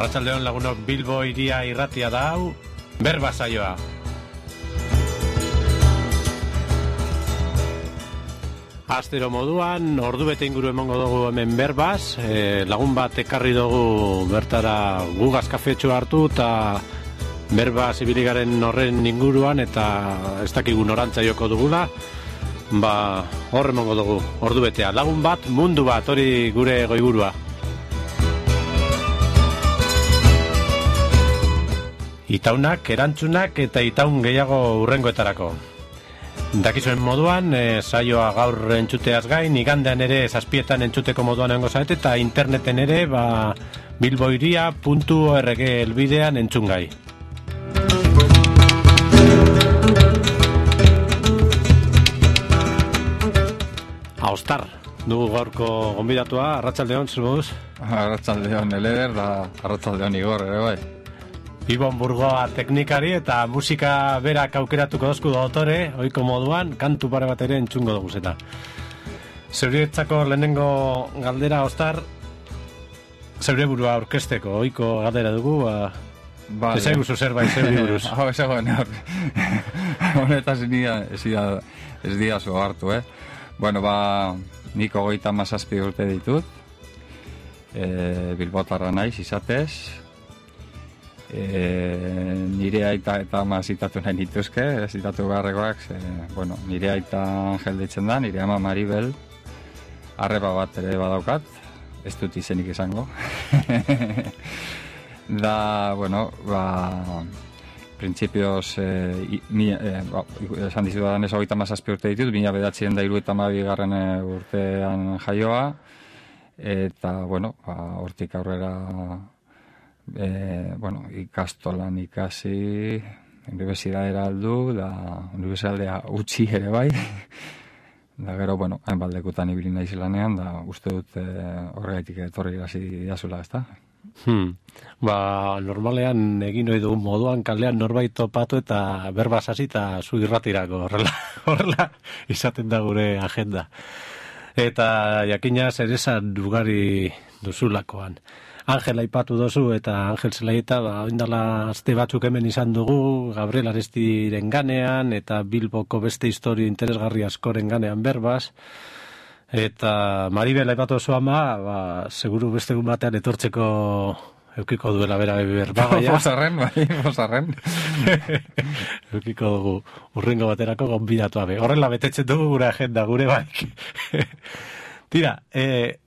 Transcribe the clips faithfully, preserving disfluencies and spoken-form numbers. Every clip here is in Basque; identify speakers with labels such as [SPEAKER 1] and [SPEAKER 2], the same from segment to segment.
[SPEAKER 1] Arratsaldeon lagunok, Bilbo iria irratia da hau, berba saioa. Astero moduan, ordu bete inguru emango dugu hemen berbaz, e, lagun bat ekarri dugu bertara gugaz kafetxo hartu eta berbaz ibiligaren horren inguruan eta ez dakigu norantza joko dugula, ba hor emango dugu ordu betea. Lagun bat, mundu bat, hori gure goiburua. Itaunak, erantzunak eta itaun gehiago urrengoetarako. Dakizuen moduan, e, saioa gaur entzuteaz gain, igandean ere zazpietan entzuteko moduan egongo zaete eta interneten ere ba, bilboiria puntu org elbidean entzun gai. Aostar, dugu gaurko gonbidatua, arratsaldeon, zer moduz?
[SPEAKER 2] Arratsaldeon Eleder da arratsaldeon Igor ere bai.
[SPEAKER 1] Ibon Burgoa teknikari eta musika berak aukeratuko dozku dotore, ohiko moduan, kantu pare bat ere entzungo dugu zeta. Zeurietzako lehenengo galdera, Aostar, zeure burua aurkezteko, ohiko galdera dugu, ba, vale. Ez eguzu zerbait zeuri buruz.
[SPEAKER 2] Hau, ez egoen hor. Honetaz ez dia zo hartu, eh? Bueno, ba, nik hogeita hamazazpi urte ditut, e, bilbotarra naiz izatez, e, nire aita eta ama zitatu nahi nituzke, zitatu beharrekoak, ze, bueno, nire aita Angel deitzen da, nire ama Maribel, arreba bat ere badaukat, ez dut izenik izango. Da, bueno, ba... Printzipioz, eh, mi, eh, ba, esan dizudan ez hogeita hamazazpi urte ditut, mila bederatziehun eta hirurogeita hamabi garren urtean jaioa, eta, bueno, ba, hortik aurrera, eh, bueno, ikastolan ikasi, unibertsitatera aldu, da, unibertsitatea utzi ere bai, da gero, bueno, hainbat lekutan ibili naiz lanean, da, uste dut eh, horregaitik etorri hasi diazula, ezta?
[SPEAKER 1] Hmm. Ba, normalean egin ohi dugun moduan kalean norbait topatu eta berbaz hasi eta zu irratirako horrela, horrela izaten da gure agenda. Eta jakina zer esan ugari duzulakoan. Angel aipatu dozu eta Angel Zelaieta, ba, oindala aste batzuk hemen izan dugu, Gabriel Arestiren ganean eta Bilboko beste historio interesgarri askoren ganean berbaz. Eta Maribel aipatu oso ama, ba, seguru beste egun batean etortzeko eukiko duela bera berbagaia.
[SPEAKER 2] Bosarren, bai, bosarren.
[SPEAKER 1] Eukiko dugu urrengo baterako gonbidatu abe. Horrela betetzen dugu gure agenda, gure baik. Tira, e,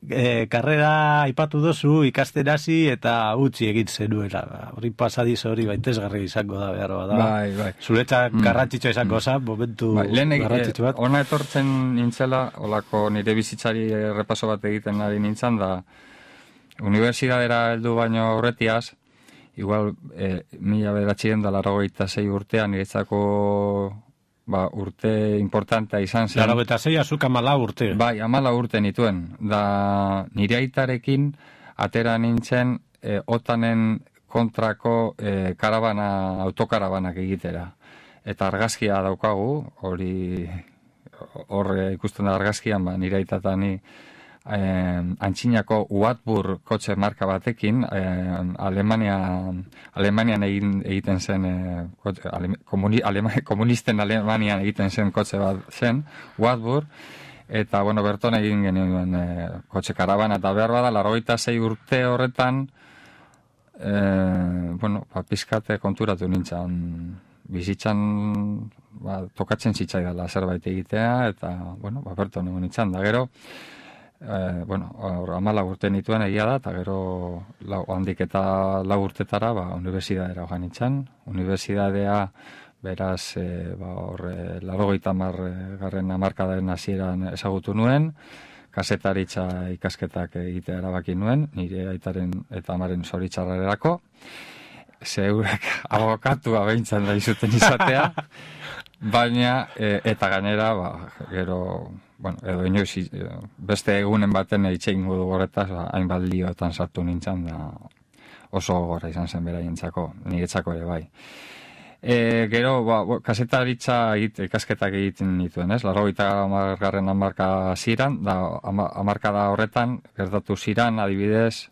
[SPEAKER 1] e, karrera aipatu dozu, ikasten hasi eta utzi egin zenuela. Hori pasadiz hori baitezgarri izango da behar bada.
[SPEAKER 2] Bai, bai.
[SPEAKER 1] Zuretzak mm. garrantzitsua izango za, momentu
[SPEAKER 2] bai,
[SPEAKER 1] garrantzitsu bat.
[SPEAKER 2] Ona etortzen nintzela, olako nire bizitzari repaso bat egiten ari nintzen, da unibertsitatera heldu baino aurretiaz, igual e, mila bederatziehun eta laurogeita sei urtean niretzako ba, urte importantea izan zen.
[SPEAKER 1] Laurogeita sei azuk amala urte.
[SPEAKER 2] Bai, amala urte nituen. Da nire aitarekin atera nintzen e, otanen kontrako e, karabana, autokarabanak egitera. Eta argazkia daukagu, hori hor ikusten da argazkian, ba, nire aita eta ni Eh, antxinako Wartburg kotxe marka batekin eh, Alemania, Alemanian egin, egiten zen eh, kotxe, ale, komuni, Alema, komunisten Alemanian egiten zen kotxe bat zen Wartburg, eta bueno, berton egin genuen eh, kotxe karabana eta behar bada laurogeita sei urte horretan eh, bueno, ba, pizkate konturatu nintzen bizitzan ba, tokatzen zitzaidala zerbait egitea eta bueno, ba, berton egon nintzen da gero Eh, bueno, amala urte nituen egia da, eta gero lau, handik eta lau urtetara ba, unibertsitatera joan nintzen. Unibertsitatea beraz eh, ba, horre, laurogeita hamar garren hamarkadaren hasieran ezagutu nuen, kazetaritza ikasketak egitea erabaki nuen, nire aitaren eta amaren zoritzarrerako, zeurek abokatua behintzen da izuten izatea, baina e, eta gainera, ba, gero... Bueno, edo inoiz, beste egunen baten eitxein gudu horretaz, ba, hainbat lioetan sartu nintzen, da oso gora izan zen beraientzako, niretzako ere bai. E, gero, ba, kasetaritza egite, ikasketak egiten nituen, ez? Laurogeita hamargarren hamarka ziran, da hamarkada horretan, gertatu ziran, adibidez,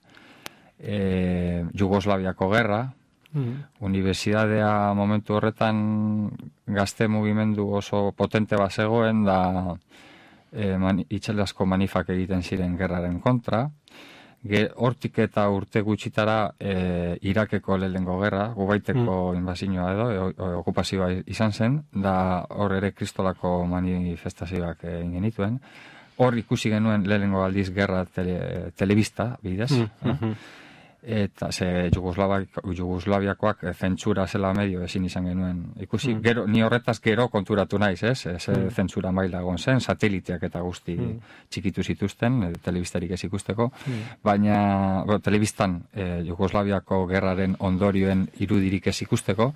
[SPEAKER 2] e, Jugoslaviako gerra, mm. Unibertsitatea momentu horretan gazte mugimendu oso potente bat zegoen, da e, man, itxalazko manifak egiten ziren gerraren kontra. Ge, hortik eta urte gutxitara e, Irakeko lehenengo gerra, gubaiteko mm. inbazioa edo, e, e, okupazioa izan zen, da hor ere kristolako manifestazioak egin genituen. Hor ikusi genuen lehenengo aldiz gerra tele, telebista, bidez. Mm -hmm. Eta ze Jugoslaviakoak zentsura zela medio ezin izan genuen ikusi. Mm. Gero, ni horretaz gero konturatu naiz, ez? Ze mm. zentsura maila egon zen, sateliteak eta guzti mm. txikitu zituzten, telebistarik ez ikusteko. Mm. Baina, bo, telebistan eh, Jugoslaviako gerraren ondorioen irudirik ez ikusteko.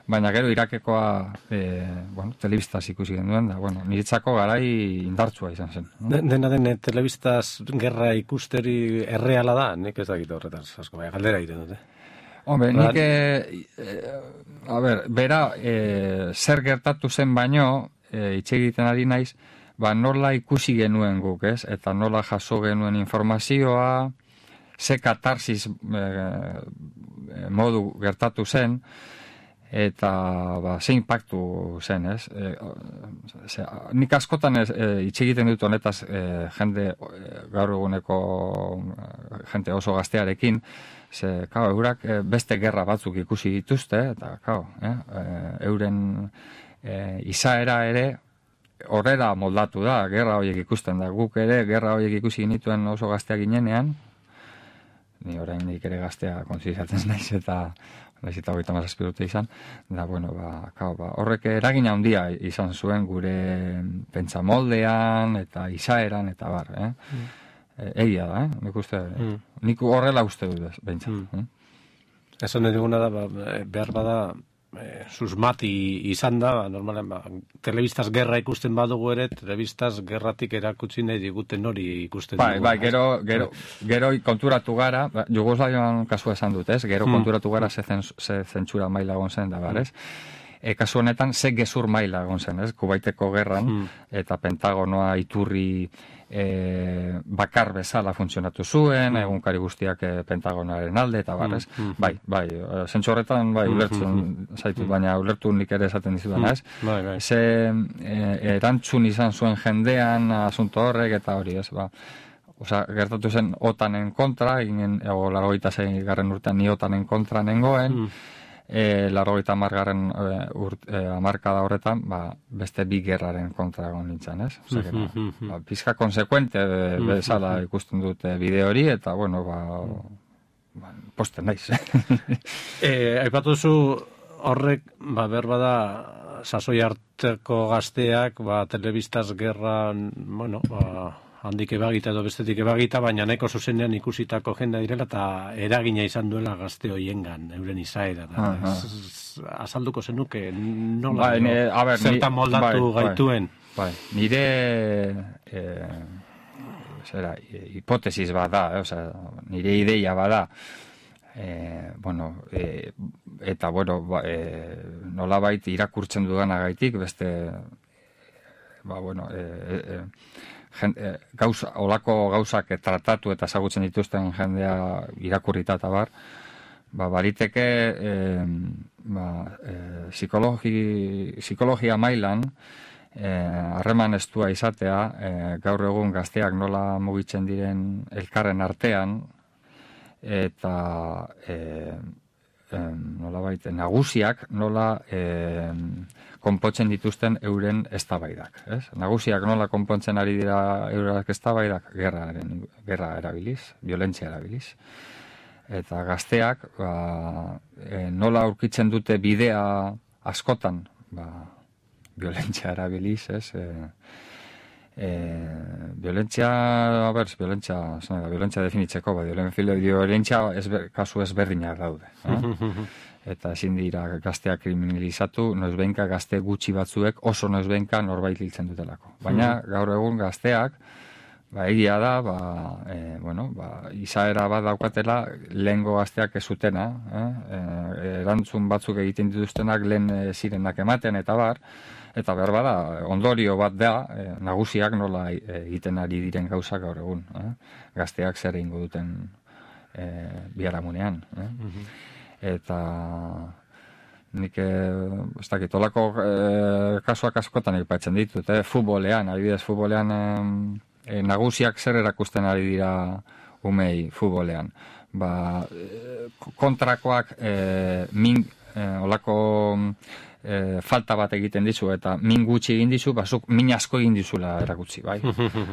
[SPEAKER 2] Baina gero Irakekoa eh, bueno, telebistaz ikusi genuen, da, bueno, niretzako garai indartsua izan zen.
[SPEAKER 1] No? Dena den, telebistaz gerra ikusteri erreala da, nik ez dakit horretaz, asko. Bai, galdera egiten dute.
[SPEAKER 2] Hombre, nik, e, e, a ber, bera, e, zer gertatu zen baino, e, itxe egiten ari naiz, ba, nola ikusi genuen guk, ez? Eta nola jaso genuen informazioa, ze katarsis e, modu gertatu zen, eta ba, ze impactu zen, ez? E, ze, nik askotan ez, e, itxe egiten dut honetaz e, jende, e, gaur eguneko jente oso gaztearekin, ze, kao, eurak e, beste gerra batzuk ikusi dituzte, eta, kao, eh, e, euren e, izaera ere horrela moldatu da, gerra horiek ikusten da. Guk ere, gerra horiek ikusi genituen oso gaztea ginenean, ni oraindik ere gaztea kontzientziatzen naiz, eta naiz eta hogeita hamazazpi urte izan, da, bueno, ba, kao, ba, horrek eragin handia izan zuen gure pentsamoldean, eta izaeran, eta bar, eh? Mm. E, egia da, eh? Nik uste, mm. nik horrela uste dut, behintzat. Mm. Mm?
[SPEAKER 1] Esan eduguna da, ba, behar bada, e, susmati izan da, ba, normalen, ba, telebistaz gerra ikusten badugu ere, telebistaz gerratik erakutsi nahi diguten hori ikusten
[SPEAKER 2] bai,
[SPEAKER 1] dugu.
[SPEAKER 2] Bai, gero, gero, gero konturatu gara, ba, Jugoslavian kasua esan dut, ez? Gero mm. konturatu gara ze, zen, ze zentsura maila egon zen da, bar, ez? E, kasu honetan, ze gezur maila egon zen, ez? Kubaiteko gerran, mm. eta Pentagonoa iturri e, bakar bezala funtzionatu zuen, mm. egunkari guztiak e, Pentagonoaren alde, eta bar, ez? Mm. Bai, bai, zentsu horretan, bai, ulertzen mm. zaitu, mm. baina ulertu nik ere esaten dizudan, ez? Mm. Bai, bai. Ze e, erantzun izan zuen jendean, asunto horrek, eta hori, ez? Ba, Osa, gertatu zen otanen kontra, eginen, ego, largoita zei garren urtean ni otanen kontra nengoen, mm. E, largoita amargarren e, e, amarkada horretan, ba, beste bi gerraren kontra egon nintzen, ez? Osa, mm -hmm. ba, pizka konsekuente e, bezala ikusten dute bideo hori, eta, bueno, ba, ba posten naiz.
[SPEAKER 1] e, Aipatu zu horrek, ba, berbada, sasoi arteko gazteak, ba, telebistaz gerran, bueno, ba, handik ebagita edo bestetik ebagita, baina nahiko zuzenean ikusitako jendea direla eta eragina izan duela gazte hoiengan, euren izaera. Da. Ez, azalduko zenuke, nola,
[SPEAKER 2] bai, ne, a ber,
[SPEAKER 1] zertan moldatu bai, gaituen.
[SPEAKER 2] Bai, bai. Nire eh, zera, hipotesis bada, eh, osea, nire ideia bada, eh, bueno, eh, eta bueno, ba, eh, nolabait irakurtzen dudanagaitik, beste, ba, bueno, eh, eh, Jende, gauza, olako gauzak tratatu eta ezagutzen dituzten jendea irakurrita eta bar, ba, bariteke eh, ba, eh, psikologi, psikologia mailan harreman eh, estua izatea, eh, gaur egun gazteak nola mugitzen diren elkarren artean, eta eh, eh, nola baita, nagusiak nola eh, konpontzen dituzten euren eztabaidak, ez? Nagusiak nola konpontzen ari dira eurak eztabaidak, gerraren, gerra erabiliz, violentzia erabiliz. Eta gazteak, ba, e, nola aurkitzen dute bidea askotan, ba, violentzia erabiliz, ez? E, e, violentzia, a ber, violentzia, zena, violentzia definitzeko, ba, violentzia ezber, kasu ezberdinak daude, eh? Eta ezin dira gazteak kriminalizatu, noizbehinka gazte gutxi batzuek oso noizbehinka norbait hiltzen dutelako. Baina gaur egun gazteak, ba, egia da, ba, e, bueno, ba, izaera bat daukatela lehengo gazteak ez zutena, eh? E, erantzun batzuk egiten dituztenak lehen e, zirenak ematen eta bar, eta behar bada, ondorio bat da, e, nagusiak nola egiten ari diren gauzak gaur egun. Eh? Gazteak zer egingo duten e, biharamunean. Eh? Mm-hmm. Eta nik, ez dakit, olako e, kasuak askotan aipatzen ditut, eh? Futbolean, adibidez, futbolean e, nagusiak zer erakusten ari dira umei futbolean. Ba, kontrakoak e, min, e, olako e, falta bat egiten dizu eta min gutxi egin dizu, bazuk min asko egin dizula erakutsi, bai?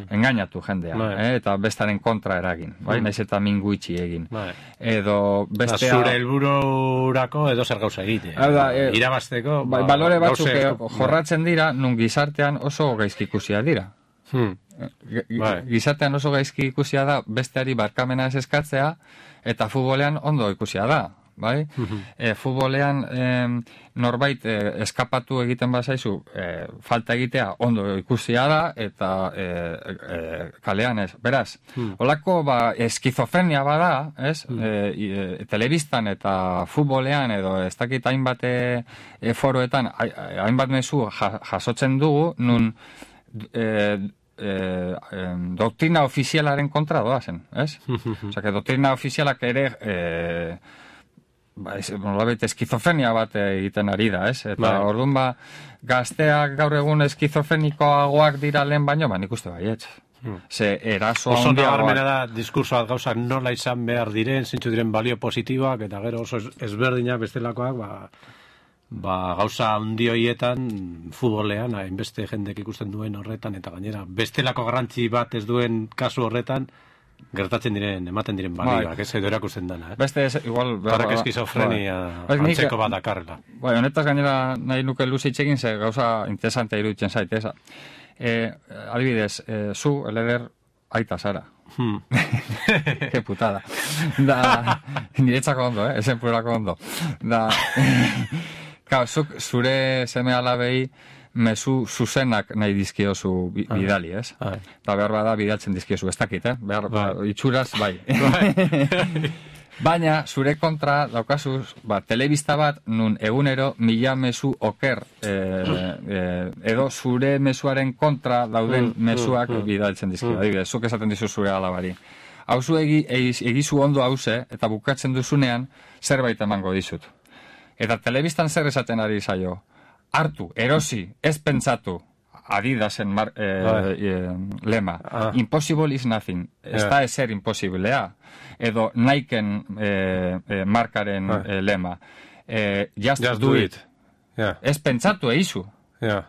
[SPEAKER 2] Engainatu jendea, eh? Eta bestaren kontra eragin, bai? Naiz eta min gutxi egin. Bai. Edo bestea...
[SPEAKER 1] Zure helbururako edo zer gauza egite.
[SPEAKER 2] Da, e,
[SPEAKER 1] irabazteko...
[SPEAKER 2] Ba, balore batzuk gauze... jorratzen dira, nun gizartean oso gaizki ikusia dira. Hmm. Gizartean oso gaizki ikusia da, besteari barkamena ez eskatzea, eta futbolean ondo ikusia da. Bai? Uh-huh. E, futbolean e, norbait e, eskapatu egiten bazaizu e, falta egitea ondo ikusia da eta e, e, kalean ez. Beraz, uh-huh. Olako ba, eskizofrenia bada, ez? Uh-huh. E, e, telebistan eta futbolean edo ez dakit hainbat e, foroetan hainbat mezu jasotzen dugu, nun e, E, e, doktrina ofizialaren kontra doazen, ez? Osea, que doktrina ofizialak ere e, ba, ez, nolabait eskizofrenia bat egiten ari da, ez? Eta bai. Orduan ba, gazteak gaur egun eskizofrenikoagoak dira lehen baino, ba, nik uste baietz. Hmm. Ze eraso
[SPEAKER 1] oso nabarmena da diskursoak gauzak nola izan behar diren, zintzu diren balio positiboak, eta gero oso ezberdinak bestelakoak, ba... Ba, gauza handi horietan, futbolean, hainbeste jendek ikusten duen horretan, eta gainera, bestelako garrantzi bat ez duen kasu horretan, gertatzen diren, ematen diren balioak, ez edo erakusten dana. Eh?
[SPEAKER 2] Beste, ez, igual...
[SPEAKER 1] Parrak eskizofrenia, bai. Antzeko bat dakarrela.
[SPEAKER 2] Bai, honetaz gainera nahi nuke luzitzekin, ze gauza interesantea iruditzen zait, eza. E, adibidez, e, zu, eleder, aita zara. Hmm. Ke putada. Da, niretzako ondo, eh? Esen purako ondo. Da... Ka, zuk, zure seme alabei mezu zuzenak nahi dizkiozu bidali, ez? Ai. Eta behar bada bidaltzen dizkiozu, ez dakit, eh? Behar, ba, itxuraz, bai. Baina, zure kontra daukazuz, ba, telebista bat, nun egunero mila mezu oker, e, e, edo zure mezuaren kontra dauden mm, mezuak mm, bidaltzen dizkio. Mm. Adibidez, zuk esaten dizu zure alabari. Hauzu egi, egizu ondo hauze, eta bukatzen duzunean, zerbait emango dizut. Eta telebistan zer esaten ari zaio. Hartu, erosi, ez pentsatu, Adidasen mar, eh, eh, lema. Ah. Impossible is nothing. Yeah. Ez da ezer imposiblea. Edo Niken eh, eh, markaren ah. eh, lema. Eh, just, just do, do it. it. Yeah. Ez pentsatu egizu. Yeah.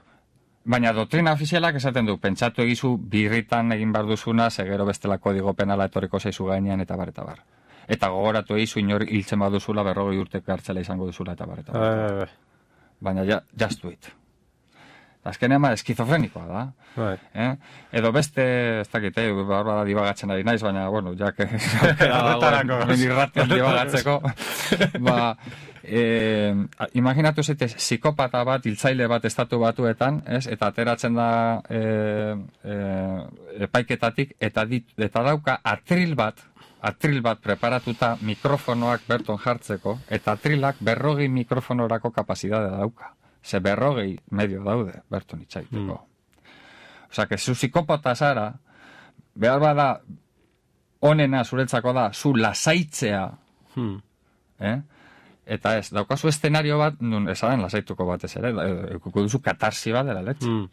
[SPEAKER 2] Baina doktrina ofizialak esaten du, pentsatu egizu birritan egin bar duzuna, segero bestela kodigo penala etorriko zaizu gainean eta bar eta bar. Eta gogoratu egizu inor hiltzen baduzula, berrogei urteko hartzela izango duzula eta bar eta bar. Uh, Baina ja, just do it. Azkenean ma eskizofrenikoa da. Right. Eh? Edo beste, ez dakit, eh, barba da dibagatzen ari naiz, baina, bueno, jak irratian dibagatzeko. Ba, eh, imaginatu zaitez, psikopata bat, hiltzaile bat estatu batuetan, ez? Eta ateratzen da eh, eh, epaiketatik, eta, dit, eta dauka atril bat, atril bat preparatuta mikrofonoak berton jartzeko, eta atrilak berrogei mikrofonorako kapazitatea dauka. Ze berrogei medio daude, berton itxaiteko. Mm. Osa, que zu psikopata zara, behar bada, onena zuretzako da, zu lasaitzea, mm. eh? Eta ez, daukazu eszenario bat, nun esaden lasaituko batez ere, ekuko duzu katarsi bat dela letxe. Mm.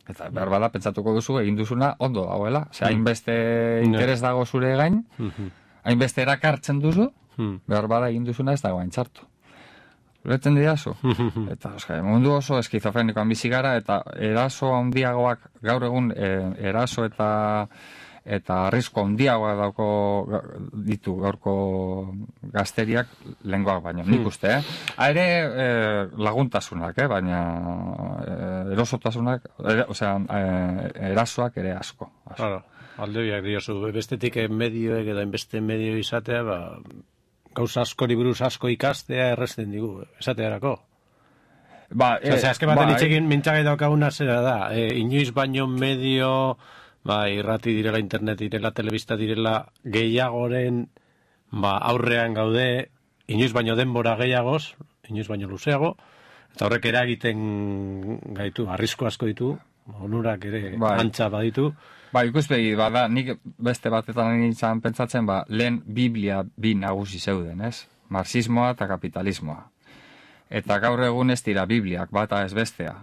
[SPEAKER 2] Eta behar bada, pentsatuko duzu, egin duzuna, ondo dagoela. Ose, hainbeste mm. interes dago zure gain, mm-hmm. hainbeste erakartzen duzu, mm. behar bada, egin duzuna ez dago hain txartu. Ureten didazu? Eta, oska, mundu oso eskizofrenikoan bizi gara, eta eraso handiagoak, gaur egun, e, eraso eta eta arrisko handiagoak dauko ditu gaurko gazteriak lengoak baino, nik uste, eh? Aire e, laguntasunak, eh? Baina e, erosotasunak, ere, osea, e, erasoak ere asko. asko.
[SPEAKER 1] Claro, aldebiak diozu, bestetik medioek edo inbeste medio izatea, ba... gauza askori buruz asko ikastea erresten digu, esatearako. Ba, e, Osea, azken baten ba, itxekin mintxagai daukaguna zera da, e, inoiz baino medio, ba, irrati direla, internet direla, telebista direla, gehiagoren, ba, aurrean gaude, inoiz baino denbora gehiagoz, inoiz baino luzeago, eta horrek eragiten gaitu, arrisku asko ditu, onurak ere
[SPEAKER 2] bai.
[SPEAKER 1] antza baditu.
[SPEAKER 2] Ba, ikuspegi, bada, nik beste batetan nintzen pentsatzen, ba, lehen Biblia bi nagusi zeuden, ez? Marxismoa eta kapitalismoa. Eta gaur egun ez dira Bibliak, bata ez bestea.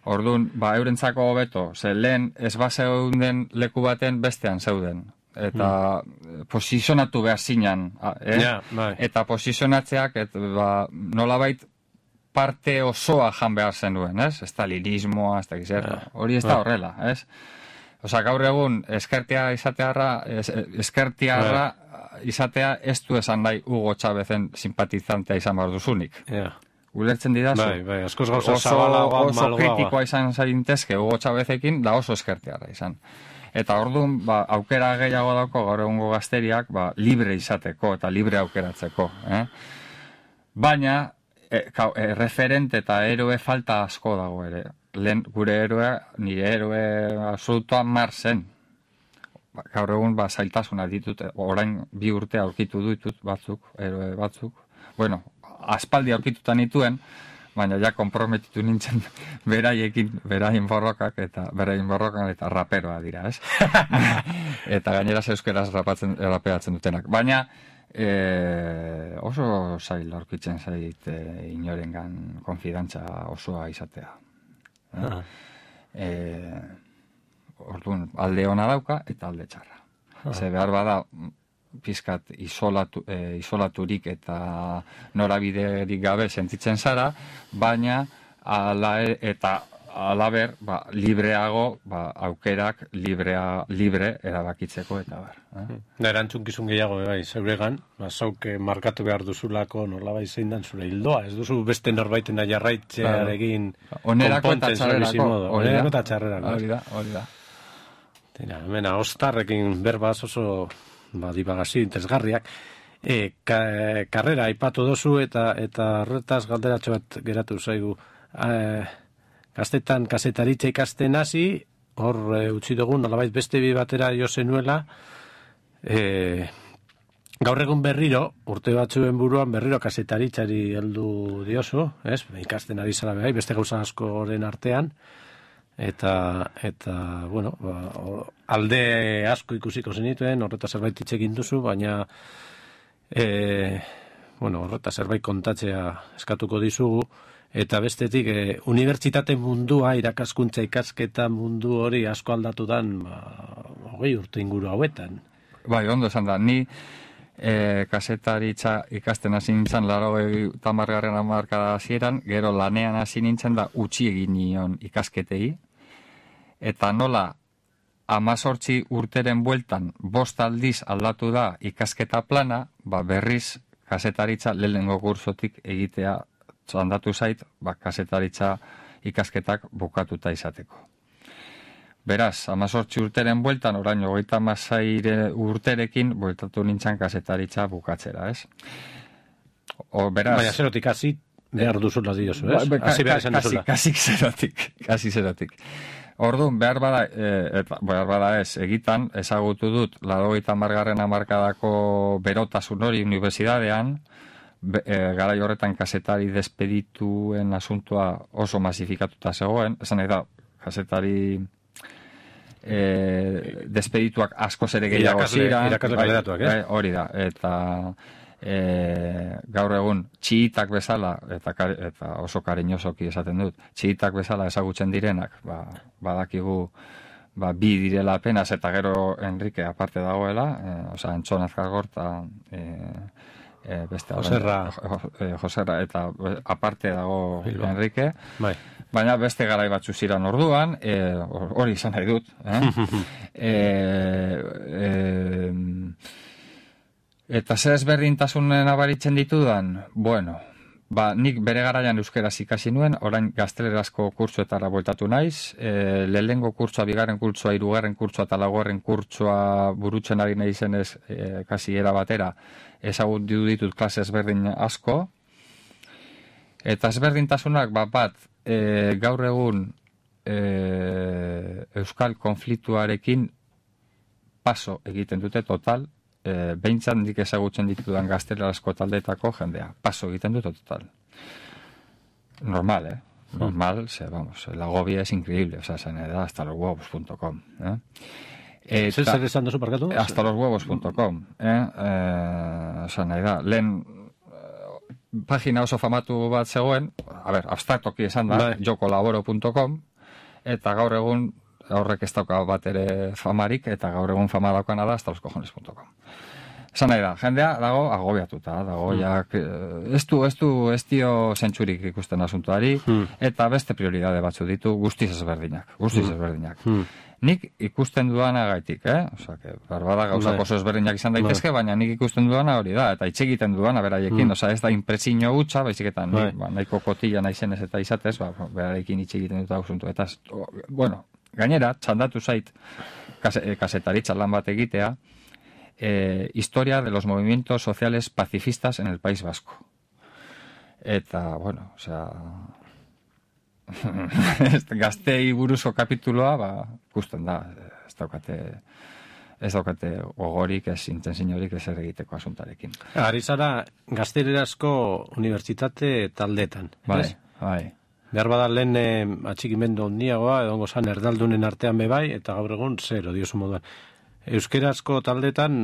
[SPEAKER 2] Orduan, ba, eurentzako hobeto, ze lehen ez bazeuden leku baten bestean zeuden. Eta mm. posizionatu behar zinan, eh?
[SPEAKER 1] Yeah, bai.
[SPEAKER 2] Eta posizionatzeak, et, ba, nolabait parte osoa jan behar zenuen, ez? Estalinismoa, ez da gizerta. Yeah. Hori ez da horrela, ez? Osa, gaur egun, eskertia izatearra, es, eskertiarra yeah. izatea ez du esan nahi Hugo Chávezen simpatizantea izan behar duzunik.
[SPEAKER 1] Yeah.
[SPEAKER 2] Ulertzen didazu?
[SPEAKER 1] Bai, bai, askoz gauza
[SPEAKER 2] oso,
[SPEAKER 1] zabalagoa,
[SPEAKER 2] oso
[SPEAKER 1] malgoa.
[SPEAKER 2] kritikoa izan zaintezke Hugo Chávezekin, da oso eskertiarra izan. Eta orduan, ba, aukera gehiago dauko gaur egungo gazteriak, ba, libre izateko eta libre aukeratzeko. Eh? Baina, e, ka, e, referente eta eroe falta asko dago ere. Lehen gure eroe, nire eroe absolutoa Marsen. Ba, gaur egun, ba, zailtasuna ditut, orain bi urte aurkitu ditut batzuk, eroe batzuk. Bueno, aspaldi aurkituta nituen, baina ja konprometitu nintzen beraiekin, beraien borrokak eta beraien borrokan eta raperoa dira, ez? Eta gainera euskeraz rapatzen, rapeatzen dutenak. Baina e, oso zail aurkitzen zait e, inorengan konfidantza osoa izatea.
[SPEAKER 1] Ah.
[SPEAKER 2] E, orduan, alde ona dauka eta alde txarra.
[SPEAKER 1] Ah.
[SPEAKER 2] Ze behar bada pizkat isolatu, e, isolaturik eta norabiderik gabe sentitzen zara, baina ala eta alaber, ba, libreago, ba, aukerak librea, libre erabakitzeko eta bar. Eh?
[SPEAKER 1] Da, erantzunkizun gehiago, bai, zeuregan, ba, zauke markatu behar duzulako nolabait zein dan zure hildoa, ez duzu beste norbaitena jarraitzearekin
[SPEAKER 2] onerako eta txarrerako.
[SPEAKER 1] Onerako eta txarrerako.
[SPEAKER 2] Hori da, hori da.
[SPEAKER 1] Tira, mena, ostarrekin berbaz oso ba, dibagazio interesgarriak. E, ka, karrera aipatu dozu eta eta horretaz galderatxo bat geratu zaigu. E, Gaztetan kazetaritza ikasten hasi, hor e, utzi dugu, nolabait beste bi batera jo zenuela, e, gaur egun berriro, urte batzuen buruan berriro kazetaritzari heldu diozu, ez? Ikasten ari zara behar, beste gauza askoren artean, eta, eta bueno, ba, alde asko ikusiko zenituen, horreta zerbait hitz egin duzu, baina e, bueno, horreta zerbait kontatzea eskatuko dizugu, eta bestetik, e, unibertsitate mundua, irakaskuntza ikasketa mundu hori asko aldatu dan, ba, hogei urte inguru hauetan.
[SPEAKER 2] Bai, ondo esan da, ni e, kasetaritza ikasten hasi nintzen, laro tamargarren hamarkada hasieran, gero lanean hasi nintzen da utzi egin nion ikasketei, eta nola amazortzi urteren bueltan bost aldiz aldatu da ikasketa plana, ba berriz kasetaritza lehenengo kursotik egitea handatu zait, ba, kasetaritza ikasketak bukatuta izateko. Beraz, amazortzi urteren bueltan, orain hogeita hamasei urterekin, bueltatu nintzen kasetaritza bukatzera, ez? O, beraz... Baina
[SPEAKER 1] zerotik hasi behar duzula diozu, ez?
[SPEAKER 2] Ba, hasi behar esan duzula. Kasi zerotik, kasi zerotik. Orduan, behar bada, e, eta, behar bada ez, egitan, ezagutu dut, laurogeita hamargarren hamarkadako berotasun hori unibertsitatean, Be, e, garai horretan kazetari despedituen asuntoa oso masifikatuta zegoen, esan nahi da, kazetari e, despedituak asko zere gehiago ziren,
[SPEAKER 1] bai,
[SPEAKER 2] hori da, eta e, gaur egun txiitak bezala, eta, eta oso kariñosoki esaten dut, txiitak bezala ezagutzen direnak, ba, badakigu ba, bi direla apenas, eta gero Enrique aparte dagoela, e, oza, Entzon Azkargorta, e, E, beste
[SPEAKER 1] Joserra.
[SPEAKER 2] E, Joserra eta aparte dago
[SPEAKER 1] Bilbo.
[SPEAKER 2] Enrique,
[SPEAKER 1] bai.
[SPEAKER 2] Baina beste garai batzu ziren orduan, hori e, izan nahi dut, eh? e, e, eta zer ezberdintasunen abaritzen ditudan, bueno, ba, nik bere garaian euskeraz ikasi nuen, orain gaztelerazko kurtsoetara bueltatu naiz, e, lehengo kurtsoa, bigarren kurtsoa, hirugarren kurtsoa eta laugarren kurtsoa burutzen ari nahi zenez, e, kasi era batera, ezagutu ditut klase ezberdin asko, eta ezberdintasunak bat bat e, gaur egun e, euskal konfliktuarekin paso egiten dute total, e, behintzat dik ezagutzen ditudan gaztelerazko taldeetako jendea, paso egiten dute total. Normal, eh? normal, se, vamos, la agobia es increíble, o sea, se me da hasta los huevos punto com, ¿eh? Eh,
[SPEAKER 1] Zer zer esan duzu, parkatu?
[SPEAKER 2] hasta los huevos punto com, eh? Eh, osa, nahi da, lehen eh, pagina oso famatu bat zegoen, a ber, abstraktoki esan da,
[SPEAKER 1] bai.
[SPEAKER 2] yo colaboro punto com, eta gaur egun horrek ez dauka bat ere famarik, eta gaur egun fama daukana da hasta los cojones punto com. Esan nahi da, jendea dago agobiatuta, dago, mm. ja, ez du, ez du, ez dio zentsurik ikusten asuntuari, mm. eta beste prioridade batzu ditu guztiz ezberdinak, guztiz mm. ezberdinak. Mm. Nik ikusten duana gaitik, eh? Osa, que barbada gauzak oso ezberdinak izan daitezke, baina nik ikusten duana hori da, eta hitz egiten duana beraiekin, mm. osa, ez da impresio hutsa, baizik eta nik, ba, nahiko kotila naizenez eta izatez, ba, beraiekin hitz egiten dut asuntu, eta, bueno, gainera, txandatu zait, kasetaritza lan bat egitea, Eh, historia de los movimientos sociales pacifistas en el País Vasco. Eta, bueno, o sea, gaztei buruzko kapituloa, ba, ikusten da, ez daukate, ez daukate gogorik, ez intentzinorik, ez egiteko asuntarekin.
[SPEAKER 1] Ari zara, gaztererazko unibertsitate taldetan.
[SPEAKER 2] Bai,
[SPEAKER 1] ez?
[SPEAKER 2] bai.
[SPEAKER 1] Behar bada lehen eh, atxikimendu ondiagoa, edongo zan erdaldunen artean bebai, eta gaur egun zero, diosu moduan. Euskerazko taldetan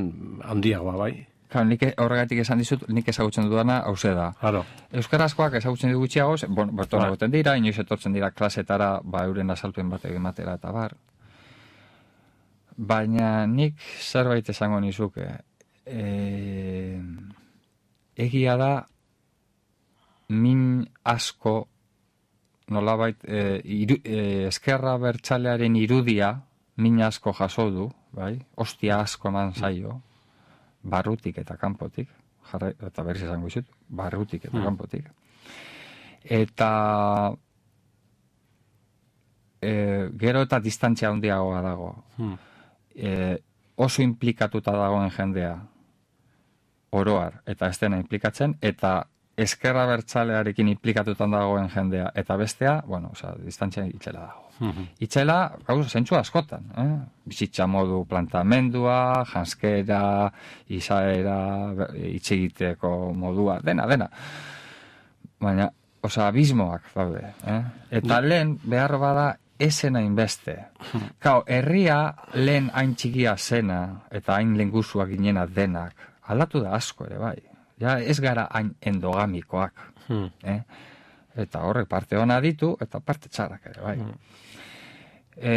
[SPEAKER 1] handiagoa, bai?
[SPEAKER 2] Claro, nik horregatik esan dizut, nik ezagutzen dudana hauze da.
[SPEAKER 1] Claro.
[SPEAKER 2] Euskarazkoak ezagutzen dugu gutxiago, bon, berton
[SPEAKER 1] Bai.
[SPEAKER 2] egoten dira, inoiz etortzen dira klasetara, ba, euren azalpen bat egin batera eta bar. Baina nik zerbait esango nizuke. E, egia da, min asko, nolabait, e, iru, e, eskerra bertsalearen irudia, min asko jaso du, bai, ostia asko eman zaio, barrutik eta kanpotik, jarra, eta berriz esango izut, barrutik eta
[SPEAKER 1] mm.
[SPEAKER 2] kanpotik. Eta e, gero eta distantzia handiagoa dago. Mm. E, oso implikatuta dagoen jendea, oroar, eta ez dena implikatzen, eta eskerra bertsalearekin implikatutan dagoen jendea, eta bestea, bueno, oza, distantzia itxela dago. Mm-hmm. Itxela, gauza, zentsu askotan, eh? Bizitza modu plantamendua, janskera, izaera, itxegiteko modua, dena, dena. Baina, oza, abismoak daude, eh? Eta lehen, behar bada, esen hainbeste. Kau, herria lehen hain txikia zena, eta hain lenguzuak ginena denak, aldatu da asko ere, bai. Ja, ez gara hain endogamikoak. Hmm. Eh? Eta horrek parte ona ditu, eta parte txarrak ere, bai. Hmm. E,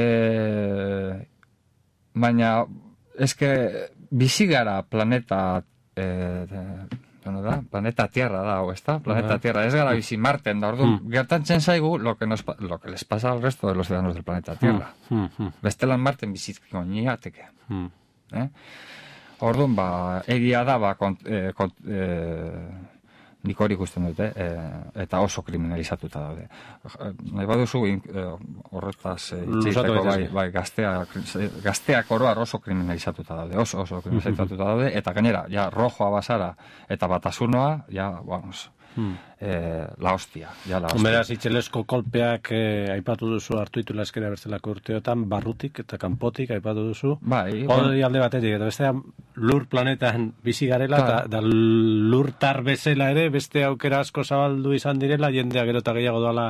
[SPEAKER 2] baina, eske, bizi gara planeta, e, bueno, da, planeta Tierra da, o ez da? Planeta uh-huh. Tierra, ez gara bizi Marten, da, orduan, hmm. gertatzen zaigu lo que, nos, lo que les pasa al resto de los ciudadanos del planeta Tierra. Hmm. Hmm. Bestelan Marten bizitko niateke. Hmm. Eh? Orduan, ba, egia da, ba, kont, eh, kont, eh, nik hori ikusten dute, eh, eta oso kriminalizatuta daude. Nahi baduzu, eh, horretaz eh, itxeiteko, bai, bai, gazteak, gazteak oroar oso kriminalizatuta daude, oso, oso kriminalizatuta daude, eta gainera, ja, rojoa basara, eta batasunoa, ja, vamos, Hmm. Eh, la hostia, ja la hostia.
[SPEAKER 1] Beraz, itxelesko kolpeak eh, aipatu duzu hartu itula eskera berzelako urteotan, barrutik eta kanpotik aipatu duzu.
[SPEAKER 2] Bai.
[SPEAKER 1] Hori alde batetik, eta beste lur planetan bizi garela, eta da lur tar bezala ere, beste aukera asko zabaldu izan direla, jendea gero eta gehiago doala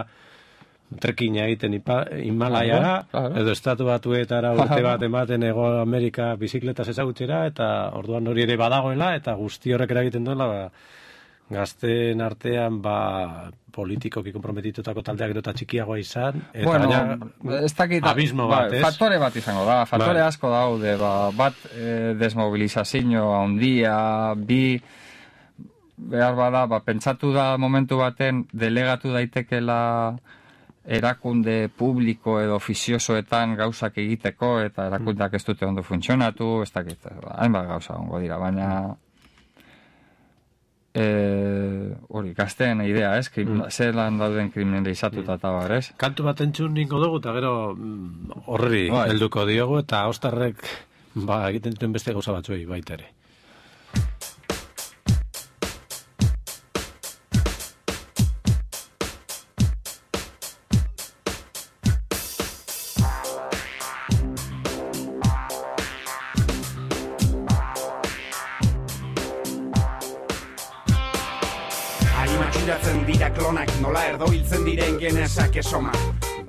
[SPEAKER 1] trekina egiten Himalaiara, claro, edo estatu batuetara urte bat ematen Ego Amerika bizikletaz ezagutzera, eta orduan hori ere badagoela, eta guzti horrek eragiten duela, ba, gazteen artean, ba, politikoki komprometitutako taldeak gero eta txikiagoa izan, eta
[SPEAKER 2] bueno,
[SPEAKER 1] baina
[SPEAKER 2] ez dakit,
[SPEAKER 1] abismo bat,
[SPEAKER 2] bai,
[SPEAKER 1] ez?
[SPEAKER 2] Faktore bat izango da, faktore
[SPEAKER 1] bai.
[SPEAKER 2] asko daude, ba, bat eh, desmobilizazio handia, bi, behar bada, ba, pentsatu da momentu baten delegatu daitekela erakunde publiko edo ofiziosoetan gauzak egiteko, eta erakundeak ez dute ondo funtzionatu, ez dakit, hainbat gauza ongo dira, baina Eh, hori, gazteen idea, ez? Krim, mm. Zelan dauden kriminalizatuta eta bar, ez?
[SPEAKER 1] Kantu bat entzun ningo dugu, eta gero horri bai. Helduko diogu, eta ostarrek ba, egiten duten beste gauza batzuei baita ere.
[SPEAKER 3] matxuratzen dira klonak, nola erdo hiltzen diren genezak esomak.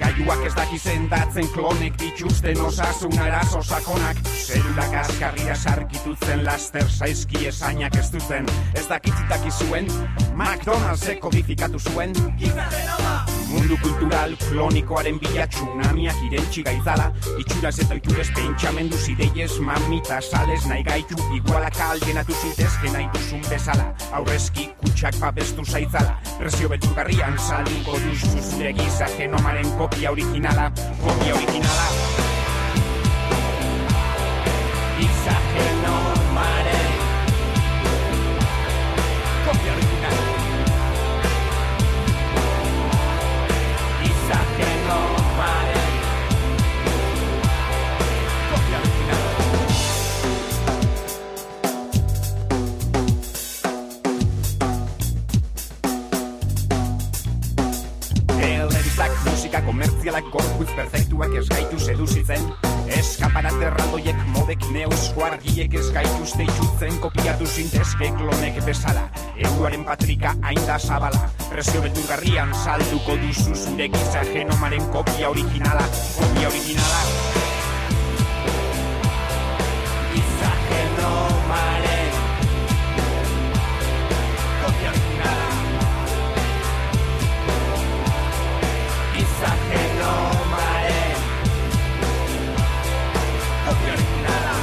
[SPEAKER 3] Gaiuak ez daki sendatzen klonek dituzten osasun arazo sakonak. Zelulak askarria sarkitutzen laster saizki esainak ez duten. Ez dakitzitak izuen, McDonald'sek kodifikatu zuen. Mundu kultural klonikoaren bila tsunamiak irentxi gaitzala. Itxuraz eta oiturez pentsamendu zideiez mamita sales nahi gaitu. Igualaka aldenatu zitezke nahi duzun bezala. Aurrezki kutsak babestu zaitzala. Prezio beturgarrian salinko duzu zure giza genomaren kopia originala. Kopia originala. Giza genomaren kopia originala. Giza genomaren kopia originala. Telebistak, musika komertzialak, gorputz perfektuak ez gaitu seduzitzen. Eskaparat erraldoiek, modek, neuzko argiek ez gaituzte itxutzen. Kopiatu zintezke klonek bezala, eguaren patrika hain da zabala. Prezio beturgarrian salduko duzu zure giza genomaren kopia originala. Kopia originala. Giza genomaren kopia originala. Giza genomaren kopia originala.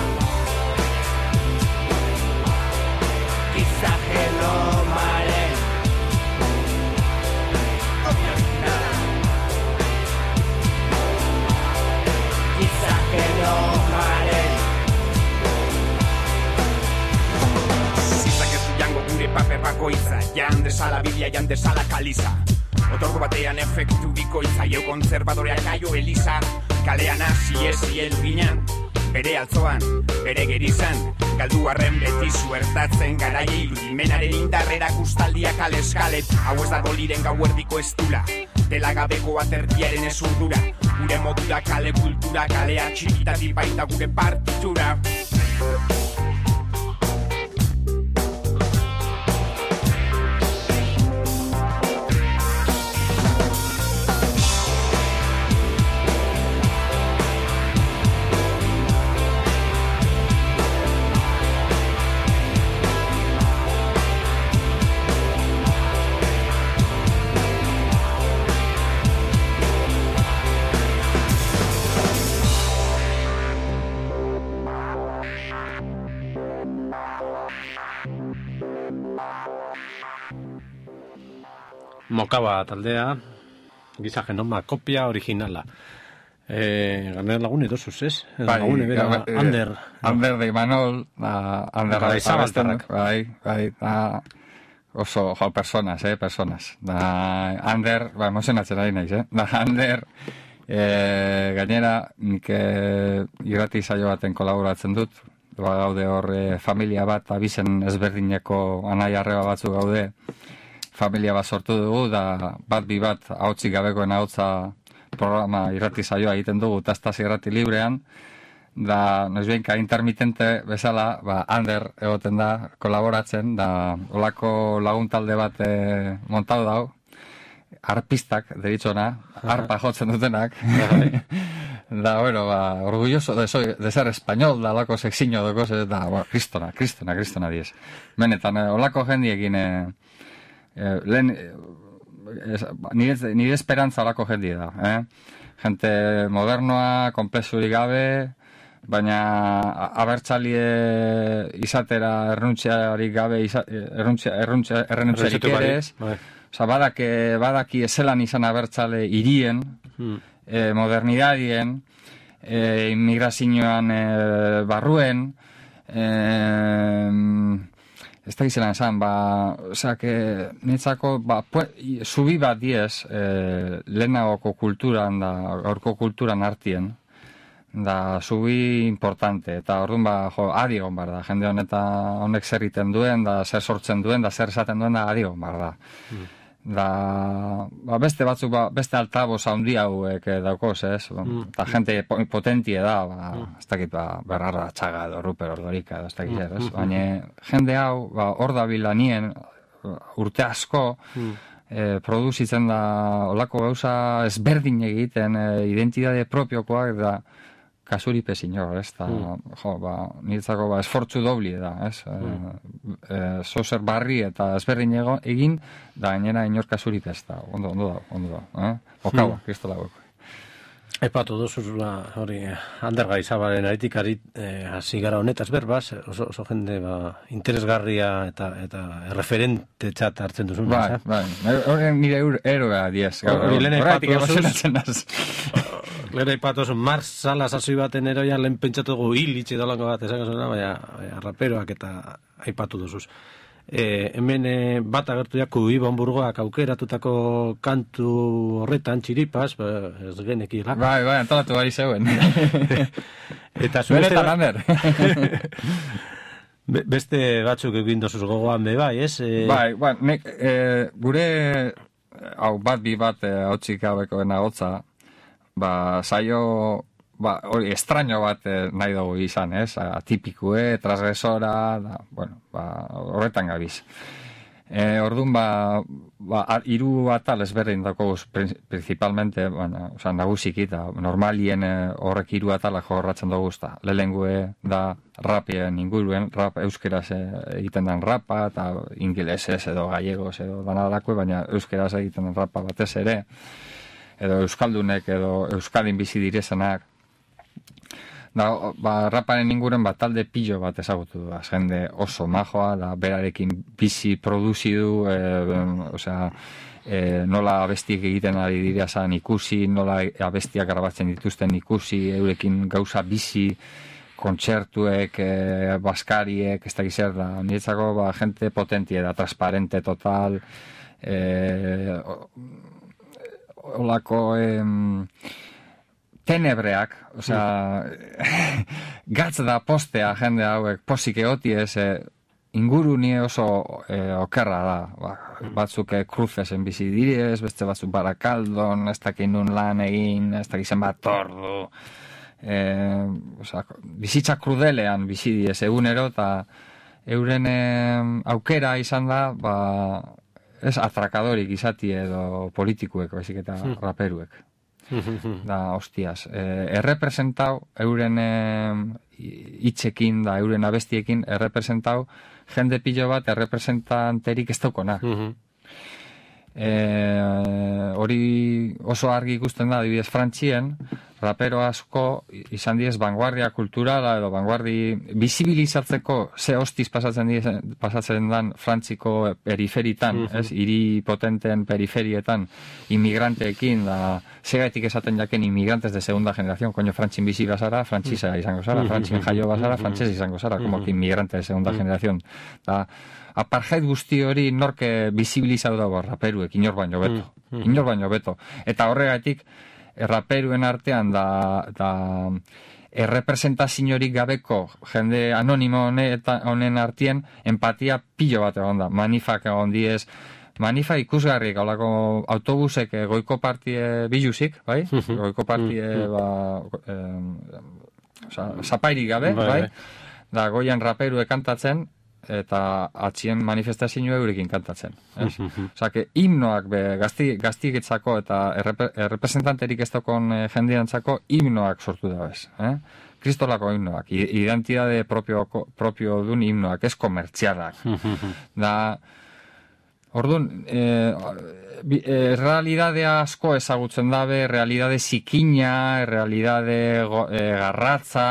[SPEAKER 3] Giza genomaren kopia originala. Giza genomaren zizak ez du jango gure paper bakoitza. Jan desala biblia, jan desala kaliza. Otorgo batean efektu bikoitza, jo konservadoreak aio eliza. Kalean hasi ezi elginan, bere altzoan, bere gerizan. Galdu arren beti zuertatzen garaie irudimenaren indarrera kustaldia kale eskale. Hau ez dago liren gauerdiko estula, dela gabeko atertiaren ezurdura. Gure modura kale kultura, kalea txikitatik baita gure partitura.
[SPEAKER 1] Mokaba taldea, giza genoma kopia originala. Eh, ganer lagun edosuz, ez?
[SPEAKER 2] Bai,
[SPEAKER 1] lagun ebera,
[SPEAKER 2] eh,
[SPEAKER 1] Ander.
[SPEAKER 2] Ander de Imanol, da, Ander
[SPEAKER 1] Bai,
[SPEAKER 2] Zabaltarrak, bai, bai, da, oso, jo, personas, eh, personas. Da, Ander, ba, emozionatzen ari naiz, eh? Da, Ander, eh, gainera, nik eh, irrati saio baten kolaboratzen dut, ba, gaude hor eh, familia bat, abizen ezberdineko anai arreba batzu gaude, familia bat sortu dugu, da bat bi bat ahotsik gabekoen ahotsa programa irrati saioa egiten dugu, tastaz irrati librean, da noizbeinka intermitente bezala, ba, Ander egoten da, kolaboratzen, da olako laguntalde bat e, montau dau, arpistak, deritzona, arpa jotzen dutenak, da, bueno, ba, orgulloso de, soy, de ser español, da, olako sexiño de cosas, da, ba, kristona, kristona, kristona diez. Benetan, olako jendiekin, e, Eh, lehen, eh, nire, nire esperantza olako jendia da, eh? Gente modernoa, komplexurik gabe, baina abertzalie izatera erruntzearik gabe, erruntzearik ere ez. Osa, badaki, badaki ezelan izan abertzale irien, hmm. eh, modernidadien, eh, immigrazioan eh, barruen, eh, ez da gizelan esan, ba, osak, netzako, ba, zubi bat diez, eh, lehenagoko kulturan, da, gaurko kulturan artien, da, zubi importante, eta orduan, ba, jo, adigon bar da, jende honeta honek zer iten duen, da, zer sortzen duen, da, zer esaten duen, da, adigon bar da. Mm. Da, ba, beste batzuk, ba, beste altaboz haundi hauek daukoz, ez? Mm. Eta jente potentie da, ba, mm. ez dakit, ba, berrarra txaga edo ruper ordorika edo ez dakit, ez? Mm. Baina jende hau, ba, hor da bilanien, urte asko,
[SPEAKER 1] mm.
[SPEAKER 2] e, produzitzen da olako gauza ezberdin egiten, e, identitate propiokoak da kasuri pezinor, ez da, mm. jo, ba, niretzako ba, esfortzu dobli da, ez, mm. e, e, zozer barri eta ezberdin ego, egin, da gainera inor kasuri pez da, ondo, ondo da, ondo da, eh? Okaua, mm. kristola goko.
[SPEAKER 1] Epatu duzula, hori, Ander Gaizabalen aritikari eh, hasi gara honetaz berbaz, oso, oso jende ba, interesgarria eta eta referente txat hartzen duzun.
[SPEAKER 2] Bai, bai, hori nire eroa diez.
[SPEAKER 1] Hori lehen epatu duzun, Mars Salas azoi baten eroia lehen pentsatu dugu hil itxe dolango bat, esan gazuna, baina raperoak eta aipatu duzuz. E, hemen e, bat agertu jaku Ibon Burgoak aukeratutako kantu horretan txiripaz, ba, ez genekila.
[SPEAKER 2] Bai, bai, antolatu bari zeuen.
[SPEAKER 1] Eta
[SPEAKER 2] benetan Ander.
[SPEAKER 1] Be, beste batzuk egin dozuz gogoan be bai, ez? E...
[SPEAKER 2] Bai, bai, nek, e, gure hau bat bi bat e, hau txikabekoena hotza, ba, saio ba, hori, estraño bat eh, nahi dugu izan, ez? Atipikue, transgresora, da, bueno, ba, horretan gabiz. E, orduan, ba, ba, iru atal ezberdin dago principalmente, bueno, oza, nagusiki, eta normalien eh, horrek iru atalak jorratzen dugu, eta lehengue da rapien inguruen, rap euskeraz egiten den rapa, eta ingelesez edo gallegos edo danadakue, baina euskeraz egiten den rapa batez ere, edo euskaldunek edo euskadin bizi direzenak. Da, ba, raparen inguren bat talde pillo bat ezagutu du, jende oso majoa, da, berarekin bizi produzi du, e, osea, e, nola abestiek egiten ari dira zan ikusi, nola abestiak grabatzen dituzten ikusi, eurekin gauza bizi, kontzertuek, e, baskariek, ez da gizer da, niretzako, ba, gente potentie da, transparente total, e, olako, em, tenebreak, osea, gatz da postea jende hauek posik eoti ez, e, inguru nie oso e, okerra da, ba, batzuk e, kruzesen bizi direz, beste batzuk Barakaldon, ez dakin nun lan egin, ez dakizen bat ordu, e, osea, bizitza krudelean bizi direz egunero, eta euren e, aukera izan da, ba, ez atrakadorik izati edo politikuek, baizik eta hmm. raperuek. Da, hostias, eh, errepresentau euren hitzekin, da, euren abestiekin errepresentau jende pilo bat errepresentanterik ez daukona. Eh, hori oso argi ikusten da, adibidez Frantzien, rapero asko izan diez vanguardia kulturala edo vanguardi bizibilizatzeko ze hostiz pasatzen diez, pasatzen dan Frantziko periferitan, mm-hmm. ez, hiri potenten periferietan inmigranteekin, da, segatik esaten jaken inmigrantes de segunda generación, koño, Frantzin bizi bazara, frantzisa izango zara, Frantzin jaio bazara, frantzes izango zara, como que inmigrante de segunda generación. Da, apartheid guzti hori norke bizibilizatu dago raperuek, inor baino beto. Inor baino beto. Eta horregatik, raperuen artean da, da errepresentaziorik gabeko jende anonimo honen artien empatia pilo bat egon da. Manifak egon diez, manifa ikusgarrik, haulako autobusek goiko partie biluzik, bai? Goiko partie, ba, eh, oza, zapairik gabe, bai? Da, goian raperue kantatzen, eta atxien manifestazio eurekin kantatzen. Osa, que himnoak be, gazti, gaztiketzako eta errep, errepresentanterik ez dakon e, jendiantzako himnoak sortu da bez. Eh? Kristolako himnoak, identidade propio, propio dun himnoak, ez komertzialak. Da, orduan, e, e, realidade asko ezagutzen dabe, realidade zikina, realidade go, e, garratza,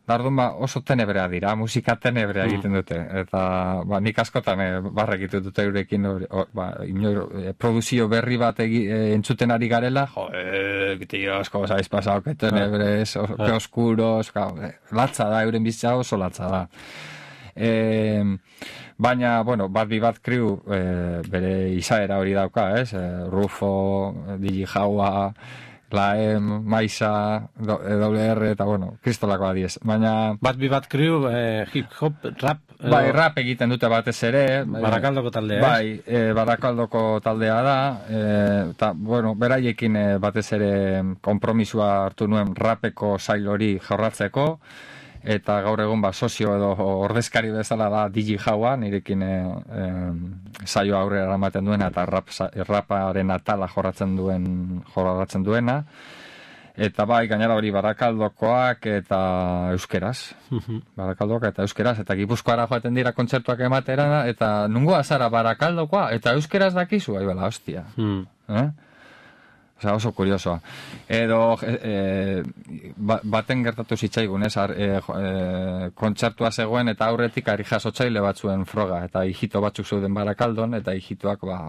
[SPEAKER 2] Dardun ba, oso tenebrea dira, musika tenebrea egiten dute, eta ba, nik askotan e, barra egiten dute eurekin, or, ba, inor, e, produzio berri bat egi, e, entzuten ari garela, jo, e, tío, asko zaiz pasau, que tenebres, o, que oscuros, ka, e, latza da, euren bizitza oso latza da. E, baina, bueno, bat bi bat kriu e, bere izaera hori dauka, ez? E, Rufo, Digi Jaua, La M, Maisa, W R, eta bueno, kristolako adiez. Baina...
[SPEAKER 1] Bat bi bat kriu, eh, hip-hop, rap...
[SPEAKER 2] Edo... Bai, rap egiten dute batez ere.
[SPEAKER 1] Barakaldoko taldea,
[SPEAKER 2] bai, eh, Barakaldoko taldea da. Eta, eh, bueno, beraiekin eh, batez ere konpromisua hartu nuen rapeko sail hori jorratzeko. Eta gaur egun ba, sozio edo ordezkari bezala da Digi Jaua, nirekin eh, eh, saio aurrera eramaten duena eta rap, raparen atala jorratzen duen jorratzen duena. Eta bai, gainera hori Barakaldokoak eta euskeraz. Barakaldoak eta euskeraz. Eta Gipuzkoara joaten dira kontzertuak ematera, eta nungoa zara Barakaldokoa, eta euskeraz dakizu, ahi bela, hostia. Mm. Eh? Osa, oso kuriosoa. Edo, e, baten gertatu zitzaigun, ez, e, e, kontzertua zegoen, eta aurretik ari jasotzaile batzuen froga, eta hijito batzuk zeuden Barakaldon, eta hijitoak, ba,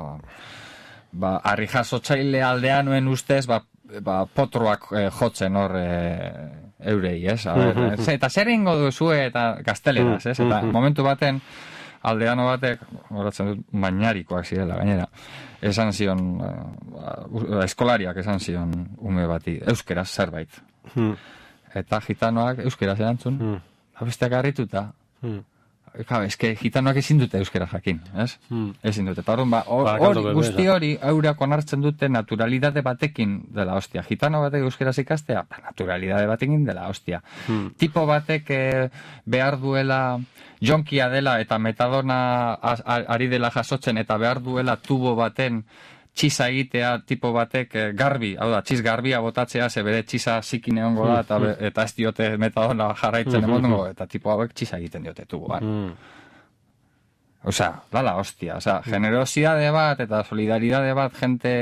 [SPEAKER 2] ba, ari jasotzaile aldean nuen ustez, ba, ba, potroak eh, jotzen hor eh, eurei, ez? A ber, mm-hmm. Eta zer ingo duzue eta gazteleraz, ez? Eta momentu baten, aldeano batek, horatzen dut, bainarikoak zirela, gainera, esan zion, uh, eskolariak esan zion ume bati, euskeraz zerbait. Mm. Eta gitanoak euskeraz erantzun, mm. besteak harrituta. Mm. Claro, es que gitanoak ezin dute euskera jakin, ez? Hmm. Ezin dute. Eta orduan, ba, hori, guzti hori, eurak onartzen dute naturalidade batekin dela hostia. Gitano batek euskeraz ikastea, ba, naturalidade batekin dela hostia. Hmm. Tipo batek eh, behar duela jonkia dela eta metadona ari dela jasotzen eta behar duela tubo baten txisa egitea tipo batek eh, garbi, hau da, txiz garbia botatzea, ze bere txisa zikin egongo da, eta, be, eta ez diote metadona jarraitzen emongo, eta tipo hauek txisa egiten diote tuboan. Osea, lala hostia, osea, generosidade bat eta solidaridade bat jente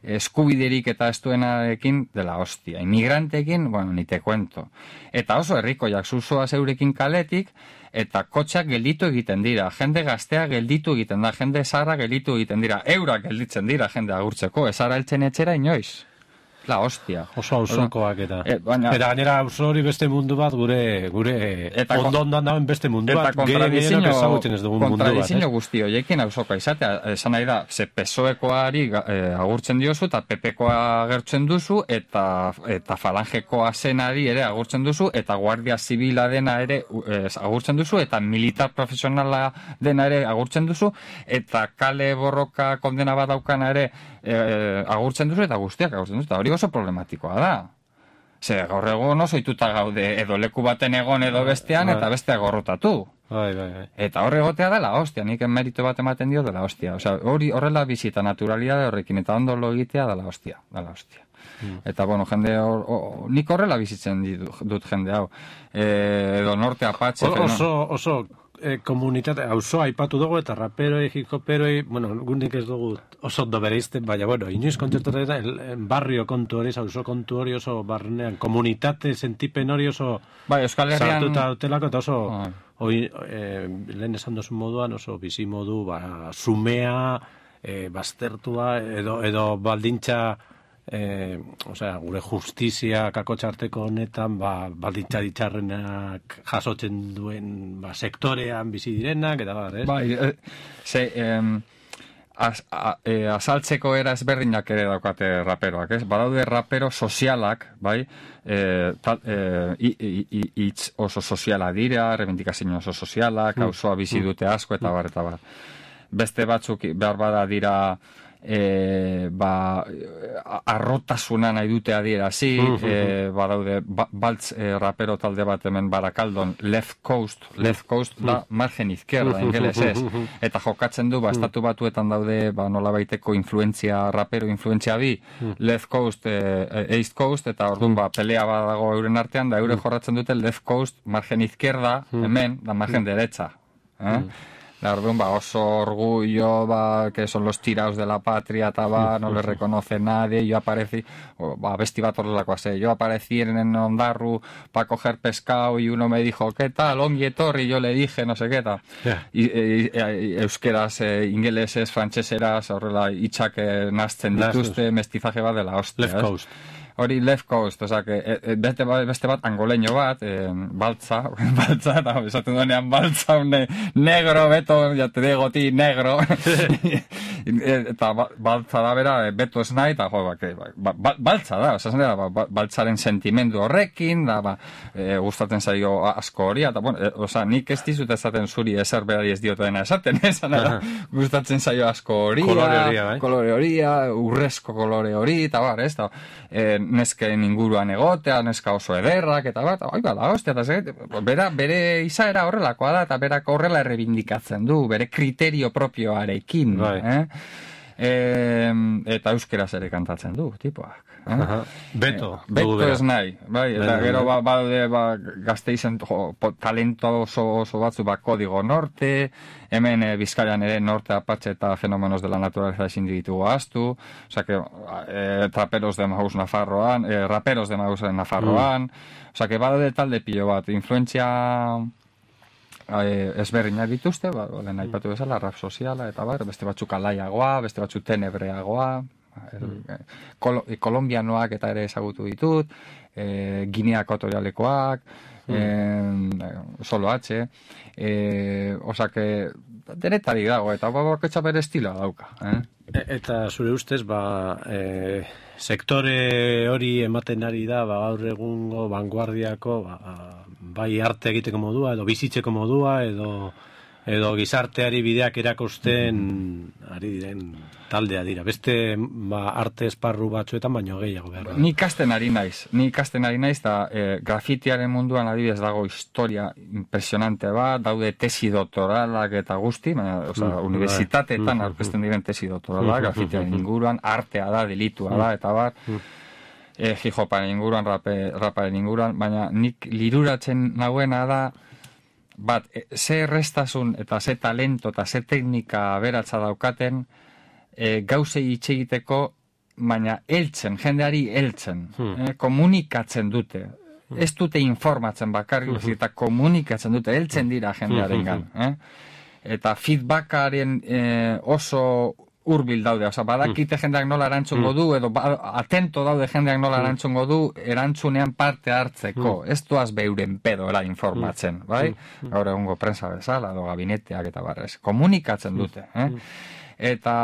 [SPEAKER 2] eskubiderik eta estuenarekin dela hostia. Inmigrantekin, bueno, ni te cuento. Eta oso herrikoiak zuzoa zeurekin kaletik, eta kotxak gelditu egiten dira, jende gaztea gelditu egiten da, jende zarra gelditu egiten dira, eurak gelditzen dira jende agurtzeko, ez ara eltzen etxera inoiz. La hostia.
[SPEAKER 1] Oso auzokoak eta. E, baina, eta gainera auzo hori beste mundu bat, gure gure ondo-ondoan dauen beste mundu bat.
[SPEAKER 2] Eta kontradizio guzti horiekin auzokoa izatea. Esan nahi da, ze pesoekoari eh, agurtzen diozu, eta pepekoa agertzen duzu, eta eta falangekoa zenari ere agurtzen duzu, eta guardia zibila dena ere eh, agurtzen duzu, eta militar profesionala dena ere agurtzen duzu, eta kale borroka kondena bat daukana ere eh, agurtzen duzu, eta guztiak agurtzen duzu, eta hori oso problematikoa da. Ze gaur egun oso ituta gaude edo leku baten egon edo bestean eta beste gorrotatu.
[SPEAKER 1] Bai, bai, bai.
[SPEAKER 2] Eta horre egotea dela hostia, nik merito bat ematen dio dela hostia. Osea, hori horrela bizita naturalidade horrekin eta ondo lo egitea dela hostia, dela hostia. Mm. Eta bueno, jende or, o, nik horrela bizitzen dut jende hau. E, edo norte apatxe.
[SPEAKER 1] O, oso, oso eh, komunitate, auzoa aipatu dugu eta raperoi, hip-hoperoi, bueno, gundik ez dugu oso ondo bereizten, baina, bueno, inoiz kontzertatu el barrio kontu hori, auzo kontu hori oso barnean, komunitate sentipen hori oso
[SPEAKER 2] bai, Euskal Herrian
[SPEAKER 1] sartuta utelako eta oso oh. Hoi, eh, lehen esan duzun moduan oso bizi modu, ba, sumea, eh, baztertua, edo, edo baldintza Eh, o sea, gure justizia kakotxarteko honetan ba, baldintza ditxarrenak jasotzen duen ba, sektorean bizi direnak eta bar, ez?
[SPEAKER 2] Bai, eh, ze, eh, az, a, eh, azaltzeko era ezberdinak ere daukate raperoak, ez? Badaude rapero sozialak, bai? Eh, tal, eh, hitz oso soziala dira, rebendikazio oso sozialak, auzoa bizi dute asko eta bar, eta bar. Beste batzuk behar bada dira E, ba, arrotasuna nahi dute adierazi, e, badaude ba, baltz e, rapero talde bat hemen Barakaldon, left coast, left coast da margen izquierda, ingelesez, eta jokatzen du, ba, estatu batuetan daude, ba, nola baiteko influentzia, rapero influentzia bi, left coast, e, east coast, eta orduan, ba, pelea badago euren artean, da eure jorratzen dute left coast, margen izquierda, hemen, da margen derecha, eh? La orduan, ba, oso orgullo, ba, que son los tiraos de la patria, eta ba, no les reconoce nadie, yo aparecí, o, ba, besti bat horrelakoa ze, yo aparecí en Ondarru para coger pescado y uno me dijo, ¿qué tal? Ongi etorri, yo le dije, no sé qué tal. Yeah. I, i, i, euskeraz, eh, ingeleses, frantseseraz, horrela, itxak eh, nazten dituzte, mestizaje bat dela hostia.
[SPEAKER 1] Left coast.
[SPEAKER 2] Hori left coast, oza, que, e, beste, beste bat angoleño bat, e, baltza, baltza, eta esaten duenean baltza, un negro, beto, ya te digo ti, negro, eta baltza da bera, beto ez nahi, eta jo, ba, ba, baltza da, oza, da, ba, baltzaren sentimendu horrekin, da, ba, e, gustatzen zaio asko horia, eta, bueno, e, oza, nik ez dizut esaten zuri ezer berari ez diote dena esaten, esan da, gustatzen zaio asko horia,
[SPEAKER 1] kolore horia, bai?
[SPEAKER 2] kolore horia, urrezko kolore hori, eta bar, ez da, e, nesken inguruan egotea, neska oso ederrak, eta bat, oi, bada, hostia, eta zait, bera, bere izaera horrelakoa da, eta berak horrela errebindikatzen du, bere kriterio propioarekin,
[SPEAKER 1] bai.
[SPEAKER 2] eh? E, eta euskeraz ere kantatzen du, tipoak. Eh?
[SPEAKER 1] Beto.
[SPEAKER 2] E, beto ez nahi, bai, eta
[SPEAKER 1] Beto,
[SPEAKER 2] gero ba, ba, ba, gazteizen jo, talento oso, oso batzu ba, kodigo norte, hemen e, Bizkaian ere norte apatxe eta fenomenos de la naturaleza ezin ditugu ahaztu, osea que e, traperos de Maus Nafarroan, e, raperos de Maus Nafarroan, mm. osea que badaude talde pilo bat, influentzia Eh, ezberdinak dituzte, ba, lehen aipatu bezala, rap soziala, eta bar, beste batzuk alaiagoa, beste batzuk tenebreagoa, mm. kol kolombianoak eta ere ezagutu ditut, e, Ginea Ekuatorialekoak, mm. e, solo H, e, osake, denetarik dago, eta bakotxa bere estiloa dauka. Eh?
[SPEAKER 1] E, eta zure ustez, ba, e, sektore hori ematen ari da, ba, gaur egungo vanguardiako, ba, bai arte egiteko modua, edo bizitzeko modua, edo, edo gizarteari bideak erakusten ari diren taldea dira. Beste ba, arte esparru batzuetan baino gehiago behar.
[SPEAKER 2] Ni ikasten ari naiz, ni ikasten ari naiz, eta e, grafitiaren munduan adibidez dago historia impresionante bat, daude tesi doktoralak eta guzti, baina, oza, mm, unibertsitateetan mm, aurkezten diren tesi doktoralak, grafitiaren inguruan, artea da, delitua da, eta bar, e, hip-hoparen inguruan, rape, raparen inguruan, baina nik liruratzen nagoena da, bat, e, ze errestasun eta ze talento eta ze teknika aberatsa daukaten, e, gauzei hitz egiteko, baina heltzen, jendeari heltzen, hmm. eh, komunikatzen dute. Hmm. Ez dute informatzen bakarrik, hmm. eta komunikatzen dute, heltzen dira jendearengan. Eh? Eta feedbackaren eh, oso hurbil daude, oza, badakite jendeak nola erantzungo du, edo ba, atento daude jendeak nola erantzungo du, erantzunean parte hartzeko, ez doaz beuren pedoera informatzen, bai? Gaur egungo prensa bezala, edo gabineteak eta barrez, komunikatzen dute, eh? Eta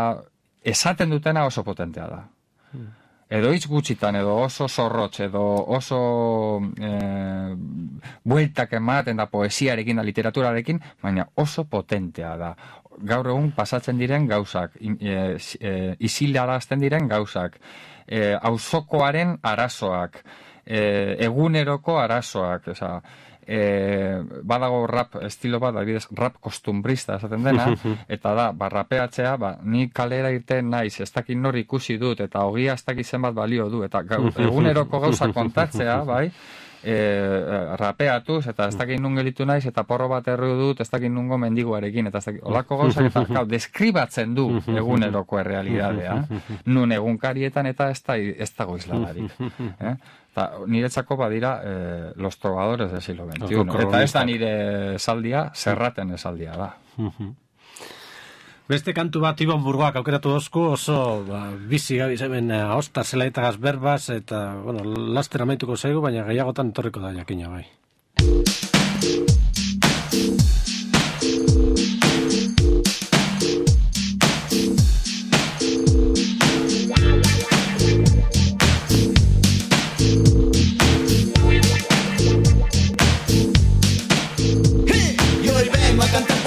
[SPEAKER 2] esaten dutena oso potentea da. Edo hitz gutxitan, edo oso zorrotz, edo oso eh, bueltak ematen da poesiarekin da literaturarekin, baina oso potentea da. Gaur egun pasatzen diren gauzak, e, e, isilarazten diren gauzak, e, auzokoaren arazoak, e, eguneroko arazoak, oza, e, badago rap estilo bat, adibidez, rap kostumbrista esaten dena, eta da, ba, rapeatzea, ba, ni kalera irten naiz, ez dakit nor ikusi dut, eta ogia ez dakit zenbat balio du, eta gau, eguneroko gauzak kontatzea, bai, E, rapeatuz, eta ez dakit nun gelitu naiz, eta porro bat erru dut, ez dakit nungo mendiguarekin, eta ez dakit, olako gauzak, eta gau, deskribatzen du eguneroko errealidadea, nun egunkarietan, eta ez, da, ez dago izladarik. Eh? Eta niretzako badira eh, los trovadores del siglo veintiuno. Eta ez da nire esaldia, zerraten esaldia da.
[SPEAKER 1] Beste kantu bat Ibon Burgoak aukeratu dozku, oso ba, bizi gabiz hemen ahosta zelaitagaz berbaz, eta bueno, laster amaituko zaigu, baina gehiagotan etorriko da jakina bai.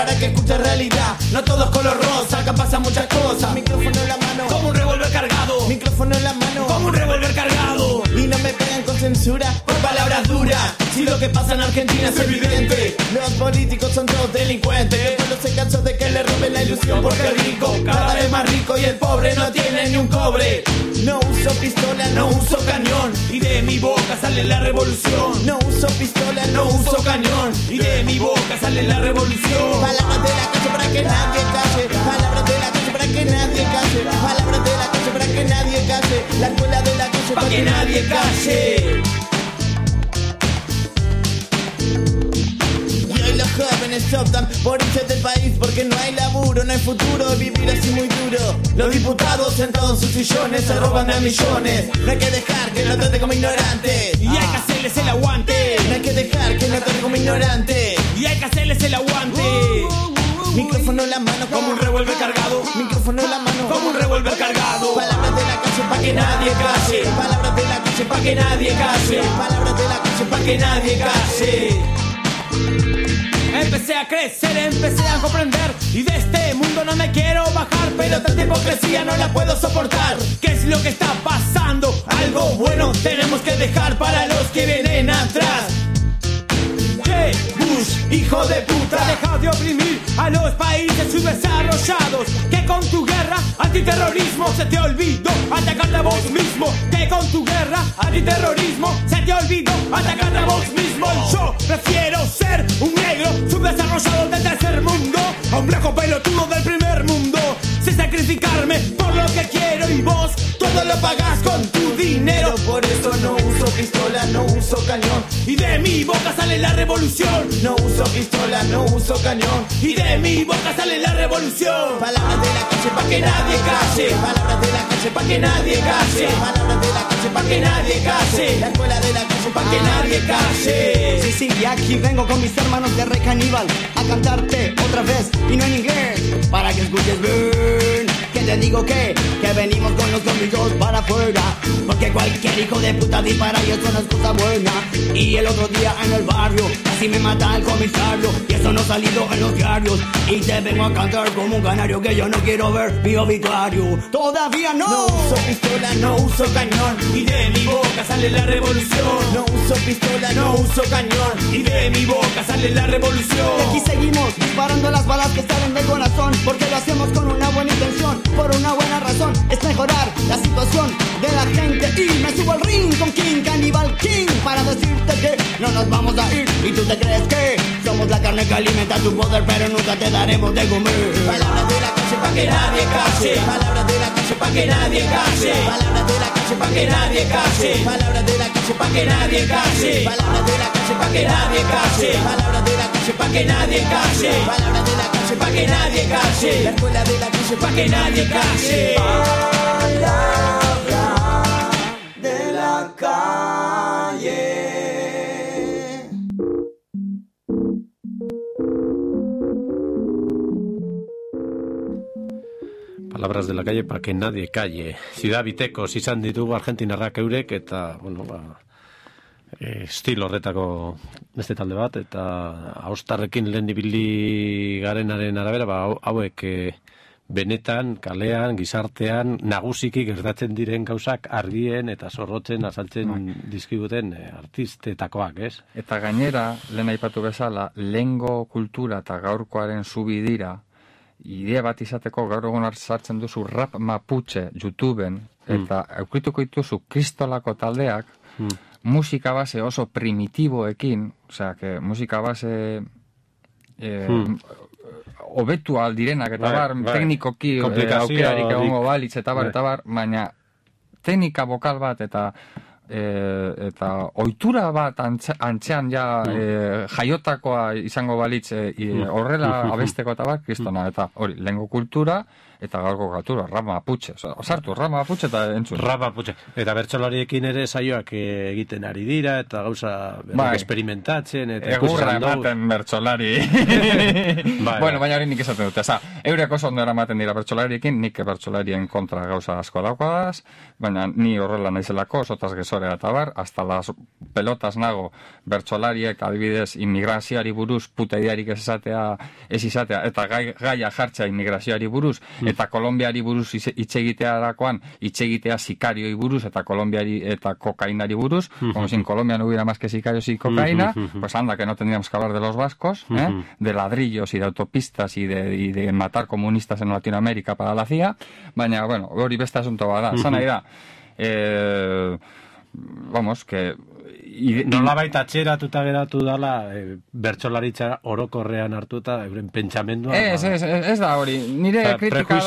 [SPEAKER 4] Para que escuche realidad, no todo es color rosa, acá pasan muchas cosas. Micrófono en la mano, como un revólver cargado. Micrófono en la mano, como un revólver cargado. Y no me pegan con censura por palabras duras. Si lo que pasa en Argentina es evidente, los políticos son todos delincuentes. El pueblo se cansó de que le roben la ilusión porque el rico cada vez más rico y el pobre no tiene ni un cobre. No uso pistola, no uso cañón, y de mi boca sale la revolución. No uso pistola, no uso cañón, y de mi boca sale la revolución. Palabras de la calle para que nadie calle. Palabras de la calle para que nadie calle. Palabras de la calle para que nadie calle. La escuela de la calle para que nadie calle. Los jóvenes optan por irse del país porque no hay laburo, no hay futuro, vivir así muy duro. Los diputados sentados en sus sillones se roban a millones. No hay que dejar que nos trate como ignorantes y hay que hacerles el aguante. No hay que dejar que nos trate como ignorantes y hay que hacerles el aguante. Micrófono en la mano como un revólver cargado. Micrófono en la mano calle pa' que nadie case. Palabras de la calle pa' que nadie case. Empecé a crecer, empecé a comprender y de este mundo no me quiero bajar, pero tanta hipocresía no la puedo soportar. ¿Qué es lo que está pasando? Algo bueno tenemos que dejar para los que vienen atrás. Che, Bush, hijo de puta, deja de oprimir a los países subdesarrollados. Que con tu guerra antiterrorismo se te olvidó atacarte a vos mismo. Que con tu guerra antiterrorismo se te olvidó atacarte a vos mismo. Yo prefiero ser un negro subdesarrollado del tercer mundo a un blanco pelotudo del primer mundo, sin sacrificarme por lo que quiero y vos todo lo pagás con tu dinero. Por eso no uso pistola, no uso cañón y de mi boca sale la revolución. No uso pistola, no uso cañón y de mi boca sale la revolución. Palabras de la calle pa' que nadie calle. Palabras de la calle pa' que nadie calle. Palabras de la calle pa' que nadie calle. La escuela de la calle pa' que nadie calle. Sí, sí, y aquí vengo con mis hermanos de Rey Caníbal a cantarte otra vez y no en inglés, para que escuches bien. Que te digo que, que venimos con los domingos para afuera, porque cualquier hijo de puta dispara y eso no es cosa buena. Y el otro día en el barrio casi me mata el comisario y eso no ha salido en los diarios. Y te vengo a cantar como un canario que yo no quiero ver mi obituario. Todavía no. No uso pistola, no uso cañón y de mi boca sale la revolución. No uso pistola, no uso cañón y de mi boca sale la revolución. Y aquí seguimos disparando las balas que salen del corazón, porque lo hacemos con una buena intención, por una buena razón, es mejorar la situación de la gente. Y me subo al ring con King, Cannibal King, para decirte que no nos vamos a ir. Y tú te crees que somos la carne que alimenta tu poder, pero nunca te daremos de comer. Palabras de la calle pa' que nadie calle. Palabras de la calle pa' que nadie calle. Palabras de la calle pa' que nadie calle. Palabras de la calle pa' que nadie calle. Palabras de la calle pa' que nadie calle. Palabras de la calle pa' que nadie calle. Palabras de la calle pa' que nadie calle. La escuela de la calle pa' que nadie calle. Palabra de la calle.
[SPEAKER 1] Palabras de la calle para que nadie calle. Ciudad Bitekos izan ditugu Argentinarrak eurek eta, bueno, ba, e, estilo horretako beste talde bat, eta austarrekin lehen ibili garenaren arabera, ba, hauek e, benetan, kalean, gizartean, nagusiki gertatzen diren gauzak argien eta zorrotzen azaltzen no. dizkiguten e, artistetakoak, ez?
[SPEAKER 2] Eta gainera, lehen aipatu bezala, lehengo kultura eta gaurkoaren zubidira, idea bat izateko gaur egun sartzen duzu rap mapuche YouTubeen eta mm. aukituko dituzu kristolako taldeak mm. musika base oso primitiboekin, osea, que musika base eh, mm. obetu aldirenak eta bar, bai, teknikoki aukerarik egongo balitz eta bar, eta bar, baina teknika bokal bat eta E, eta ohitura bat antze, antzean ja e, jaiotakoa izango balitz e, horrela abesteko eta bat, kristona, eta hori, lehengo kultura eta gaurko kultura, rap mapuche, osartu, rap mapuche eta entzun.
[SPEAKER 1] Rap mapuche, eta bertsolariekin ere saioak egiten ari dira, eta gauza bai. Experimentatzen, eta
[SPEAKER 2] egurra ematen bertsolari. Bai, bueno, baina hori nik esaten dute, eza, eurek oso ondo eramaten dira bertsolariekin, nik bertsolarien kontra gauza asko daukadaz, baina ni horrela naizelako, sotaz gezore eta bar, hasta las pelotas nago bertsolariek adibidez immigrazioari buruz, puta idearik ez izatea, ez izatea, eta gai, gaia jartzea immigrazioari buruz, mm. eta Kolombiari buruz hitz egitearakoan, hitz egitea sikarioi buruz, eta Kolombiari eta kokainari buruz, mm-hmm. como si en Colombia no hubiera más que sicarios y cocaína, mm-hmm. pues anda que no tendríamos que hablar de los vascos, ¿eh? Mm-hmm. de ladrillos y de autopistas y de, y de matar comunistas en Latinoamérica para la C I A, baina, bueno, hori beste asunto bada, mm-hmm. zana ira, eh, vamos, que
[SPEAKER 1] I, nola baita atxeratuta geratu dala e, bertsolaritza orokorrean hartuta euren pentsamendua.
[SPEAKER 2] Ez, ez, ez, ez da hori. Nire Pre, kritika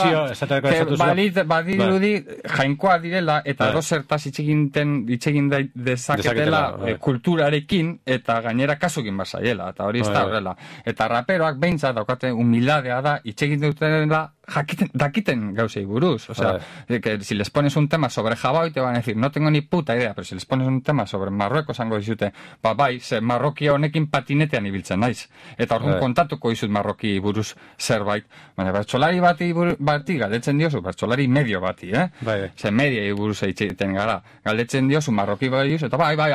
[SPEAKER 2] da, que balit, badirudi jainkoa direla eta ba. Dozertaz itxegin dezaketela ba. Kulturarekin eta gainera kasukin basaiela, eta hori ez da horrela. Eta raperoak behintzat daukate humildadea da itxegin dutela jakiten, dakiten gauzei buruz. O sea, que si les pones un tema sobre Jabao te van a decir, no tengo ni puta idea, pero si les pones un tema sobre Marruecos esango dizute, ba bai, ze marroki honekin patinetean ibiltzen naiz. Eta orduan kontatuko dizut marroki buruz zerbait. Baina bertsolari bati, bati galdetzen diozu, bertsolari medio bati, eh?
[SPEAKER 1] Bai.
[SPEAKER 2] Ze mediei buruz egiten gara. Galdetzen diozu marroki bai eta bai, bai,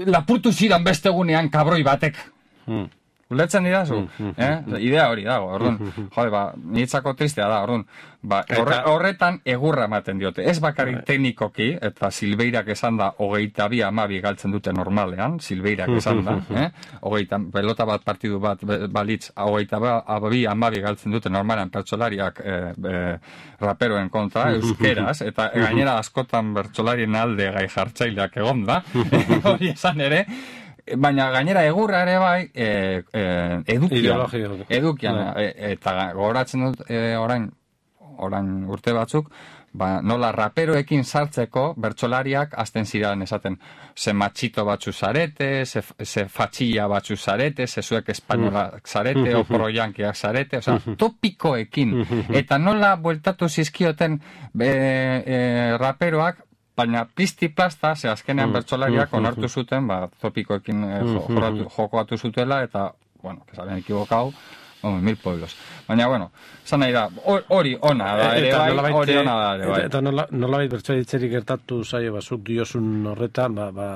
[SPEAKER 2] lapurtu zidan beste egunean kabroi batek. Hmm. Ulertzen didazu, mm, eh? Mm, idea hori dago, orduan, mm, jode, ba, niretzako tristea da, orduan, ba, horre, horretan egurra ematen diote, ez bakarrik teknikoki, eta Silveirak esan da, hogeita bi amabi galtzen dute normalean, Silveirak esan da, eh? Hogeita, pelota bat partidu bat balitz, hogeita bi amabi galtzen dute normalean pertsolariak eh, eh, raperoen kontra, euskeraz, eta gainera askotan bertsolarien alde gai jartzaileak egon da, hori esan ere, baina gainera egurra ere bai e, e, edukian, edukian e, eta gogoratzen dut e, orain, orain urte batzuk, ba, nola raperoekin sartzeko bertsolariak hasten ziren esaten, ze matxito batzu zarete, ze, ze fatxilla batzu zarete, ze zuek espainolak zarete, o proiankiak zarete, oza, topikoekin, eta nola bueltatu zizkioten be, e, raperoak, baina pizti plasta, ze azkenean mm, bertsolariak mm, onartu zuten, ba, topikoekin eh, mm, jokoatu zutela, eta, bueno, que saben equivocado, hombre, mil pueblos. Baina, bueno, zan nahi da, hori ona da, ere bai, hori ona da, ere bai.
[SPEAKER 1] Eta nolabait bertsolaritzeri gertatu zaio, bazuk diozun horretan, ba, ba,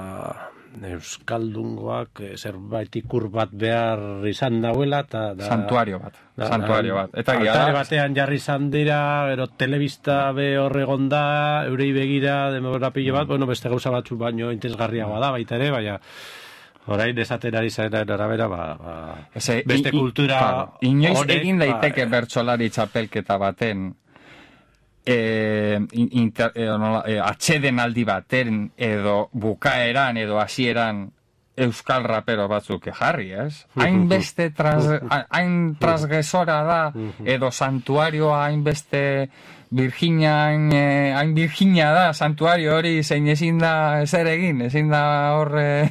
[SPEAKER 1] euskaldungoak zerbait ikur bat behar izan dauela, eta...
[SPEAKER 2] Santuario bat, da, santuario bat. Eta
[SPEAKER 1] altare batean jarri izan dira, ero telebista be horregon da, eurei begira, demograpio bat, bueno, beste gauza batzu baino interesgarriagoa da, baita ere, baina... Orain esaten ari zaren arabera, ba, ba,
[SPEAKER 2] Ese,
[SPEAKER 1] beste
[SPEAKER 2] i,
[SPEAKER 1] kultura...
[SPEAKER 2] I, inoiz horek, egin daiteke ba, bertsolari txapelketa baten, E, inter, e, no, e, atxeden aldi baten edo bukaeran edo hasieran euskal rapero batzuk jarri, ez? Hainbeste tras, hain transgresora da edo santuarioa hainbeste Virginia, eh, hain Virginia da, santuario hori zein ezin da ezer egin, ezin da horre,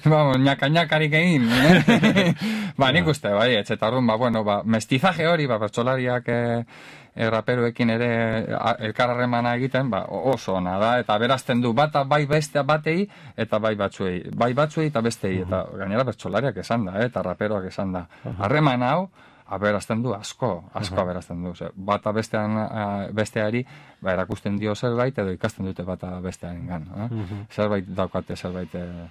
[SPEAKER 2] vamos, ñaka-ñakarik egin. Eh? Ba, nik uste, bai, etxeta orduan, ba, bueno, ba, mestizaje hori, ba, bertsolariak eh, raperoekin ere elkarremana egiten, ba, oso ona da, eta berazten du bata bai beste batei, eta bai batzuei, bai batzuei eta bestei, eta gainera bertsolariak esan da, eh, eta raperoak esan da. Harreman hau, aberazten du asko, asko aberazten du. Bata bestean, besteari, ba, erakusten dio zerbait, edo ikasten dute bata bestearen gan. Eh? Uh-huh. Zerbait daukate, zerbait... Eh...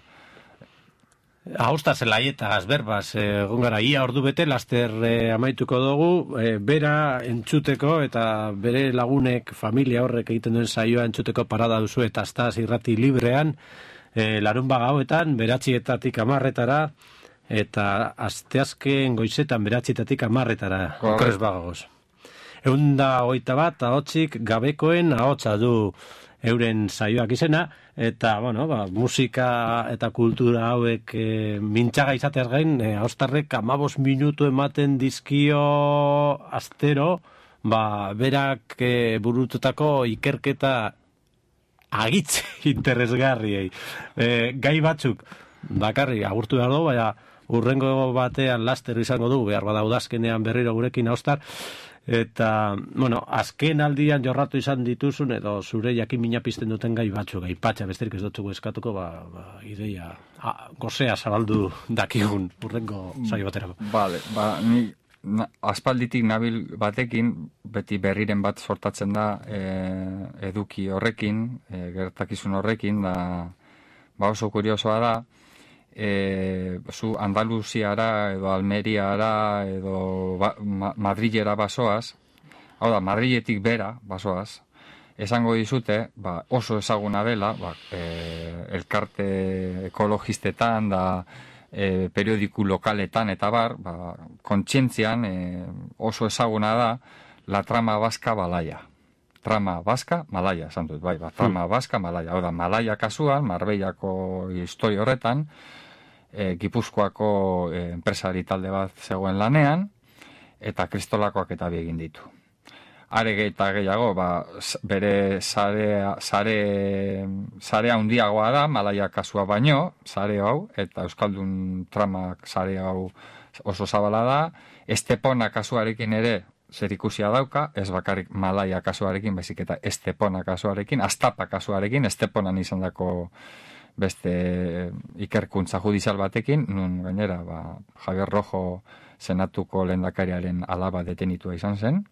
[SPEAKER 1] Hausta zelaietaz, berbaz, egon gara, ia ordu bete, laster eh, amaituko dugu, eh, bera entzuteko, eta bere lagunek, familia horrek egiten duen saioa entzuteko parada duzu, eta aztaz irrati librean, eh, larun bagauetan, beratxietatik amarretara, eta asteazken goizetan beratxietatik amarretara, okres bagagoz. Eunda hogeita bat, ahotzik gabekoen ahotsa du euren saioak izena, eta, bueno, ba, musika eta kultura hauek e, mintxaga izateaz gain, e, ahostarrek amabos minutu ematen dizkio astero, ba, berak e, burututako ikerketa agitz interesgarriei. E, gai batzuk, bakarri, agurtu behar dugu, baina urrengo batean laster izango dugu, behar bada udazkenean berriro gurekin ahostar, eta, bueno, azken aldian jorratu izan dituzun, edo zure jakin mina pizten duten gai batzu, gai patxa, besterik ez dutzugu eskatuko, ba, ba ideia, a, gozea zabaldu dakigun urrengo saio baterako.
[SPEAKER 2] Vale, ba, ni na, aspalditik nabil batekin, beti berriren bat sortatzen da e, eduki horrekin, e, gertakizun horrekin, da, ba oso kuriosoa da, E, zu Andaluziara edo Almeriara edo ba, ma, Madrilera basoaz, hau da, Madriletik bera basoaz, esango dizute, ba, oso ezaguna dela, ba, e, elkarte ekologistetan da e, periodiku lokaletan eta bar, ba, kontzientzian e, oso ezaguna da la trama vasca Malaya. Trama vasca Malaya, esan dut, bai, ba, trama vasca Malaya. Hau da, Malaya kasuan, Marbellako historia horretan, E, Gipuzkoako e, enpresari talde bat zegoen lanean, eta kristolakoak eta bi egin ditu. Are eta gehiago, ba, bere sarea, sare, sarea handiagoa da, Malaya kasua baino, sare hau, eta Euskaldun tramak sare hau oso zabala da, Estepona kasuarekin ere zerikusia dauka, ez bakarrik Malaya kasuarekin, baizik eta Estepona kasuarekin, Astapa kasuarekin, Esteponan izan dako beste ikerkuntza judizial batekin, nun gainera, ba, Javier Rojo senatuko lehendakariaren alaba detenitua izan zen,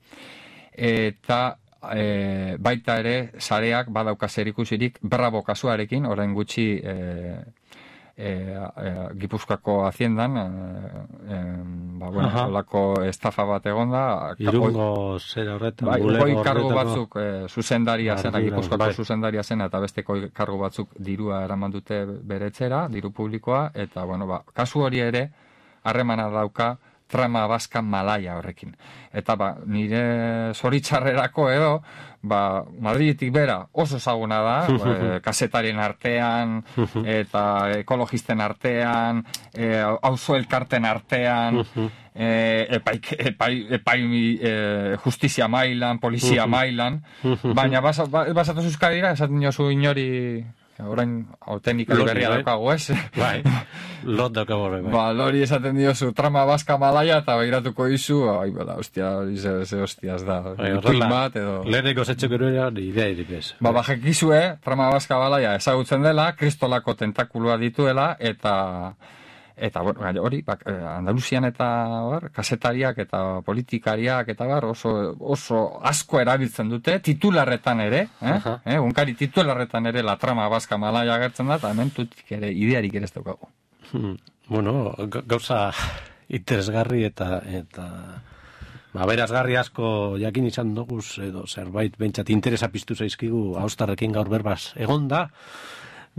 [SPEAKER 2] eta e, baita ere sareak badauka zerikusirik Bravo kasuarekin, orain gutxi e, e, e, Gipuzkoako haziendan e, e, ba, bueno, olako estafa bat egonda,
[SPEAKER 1] Irungo zera horretan,
[SPEAKER 2] bai,
[SPEAKER 1] bulego
[SPEAKER 2] goi kargu
[SPEAKER 1] horretako-
[SPEAKER 2] batzuk e, zuzendaria zena,
[SPEAKER 1] Ardura,
[SPEAKER 2] Gipuzkoako
[SPEAKER 1] bai.
[SPEAKER 2] zuzendaria zena eta beste goi kargu batzuk dirua eraman dute bere etxera, diru publikoa, eta bueno, ba, kasu hori ere harremana dauka trama baska malaia horrekin. Eta ba, nire zoritxarrerako edo, ba, Madridetik bera oso ezaguna da, e, kasetarien artean, eta ekologisten artean, e, auzo elkarten artean, e, epai, epai, epai e, justizia mailan, polizia mailan, baina basa- ba- basatu zuzkadira, esaten jozu inori, orain autenikari
[SPEAKER 1] Lori,
[SPEAKER 2] berria
[SPEAKER 1] bai.
[SPEAKER 2] daukagu, ez?
[SPEAKER 1] Bai, lot daukago horre, bai.
[SPEAKER 2] Ba, lori esaten diozu trama baska malaia eta begiratuko izu, ai, bala, ostia, hori ze, ze hostiaz da.
[SPEAKER 1] Bai,
[SPEAKER 2] Ipuin
[SPEAKER 1] horrela,
[SPEAKER 2] bat, edo...
[SPEAKER 1] leheneko zetxeko eroean idea iripez.
[SPEAKER 2] Ba, bajekizue, trama baska malaia ezagutzen dela, kristolako tentakulua dituela, eta... Eta, bueno, hori, bak, eh, Andaluzian eta, bar, kasetariak eta politikariak eta, bar, oso, oso asko erabiltzen dute, titularretan ere, eh?
[SPEAKER 1] Aha.
[SPEAKER 2] eh? Unkari titularretan ere la trama baska malaia agertzen da, eta hemen tutik ere, idearik ere ez daukagu.
[SPEAKER 1] Hmm. Bueno, ga- gauza interesgarri eta eta ba, berazgarri asko jakin izan doguz edo zerbait behintzat interesa piztu zaizkigu haustarrekin gaur berbaz egonda.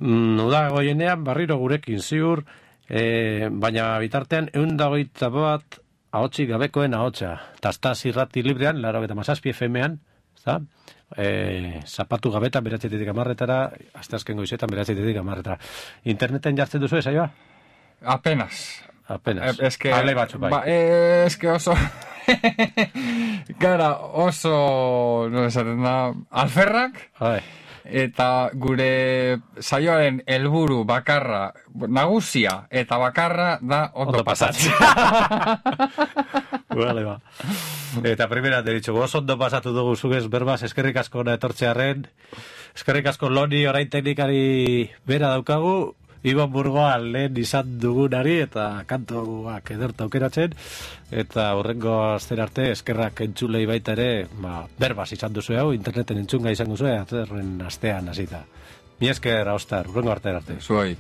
[SPEAKER 1] Mm, Uda goienean barriro gurekin ziur, e, baina bitartean ehun eta hogeita bat ahotsik gabekoen ahotsa. Tastaz irrati librean, laro eta mazazpi F M-an, ezta? E, zapatu gabetan beratzetetik amarretara, asteazken goizetan beratzetetik amarretara. Interneten jartzen duzu saioa?
[SPEAKER 2] Apenas.
[SPEAKER 1] Apenas.
[SPEAKER 2] Eh, eske,
[SPEAKER 1] Ale batzuk bai.
[SPEAKER 2] Ba, eh, eske oso... Gara, oso... No esaten da... Alferrak,
[SPEAKER 1] Bai.
[SPEAKER 2] eta gure saioaren helburu bakarra, nagusia eta bakarra da ondo pasatzen.
[SPEAKER 1] Vale, ba. Eta primera deritxo, goz ondo pasatu dugu zugez berbaz, eskerrik asko na etortzearen, eskerrik asko Loni orain teknikari bera daukagu, Iban Burgoa lehen izan dugunari eta kantuak ederta aukeratzen, eta horrengo astera arte eskerrak entzulei baita ere, ba, berbaz izan duzu hau, interneten entzunga izango zuen, atzerren astean hasita. Mi esker, Austar, horrengo arte arte.
[SPEAKER 2] Zuoi.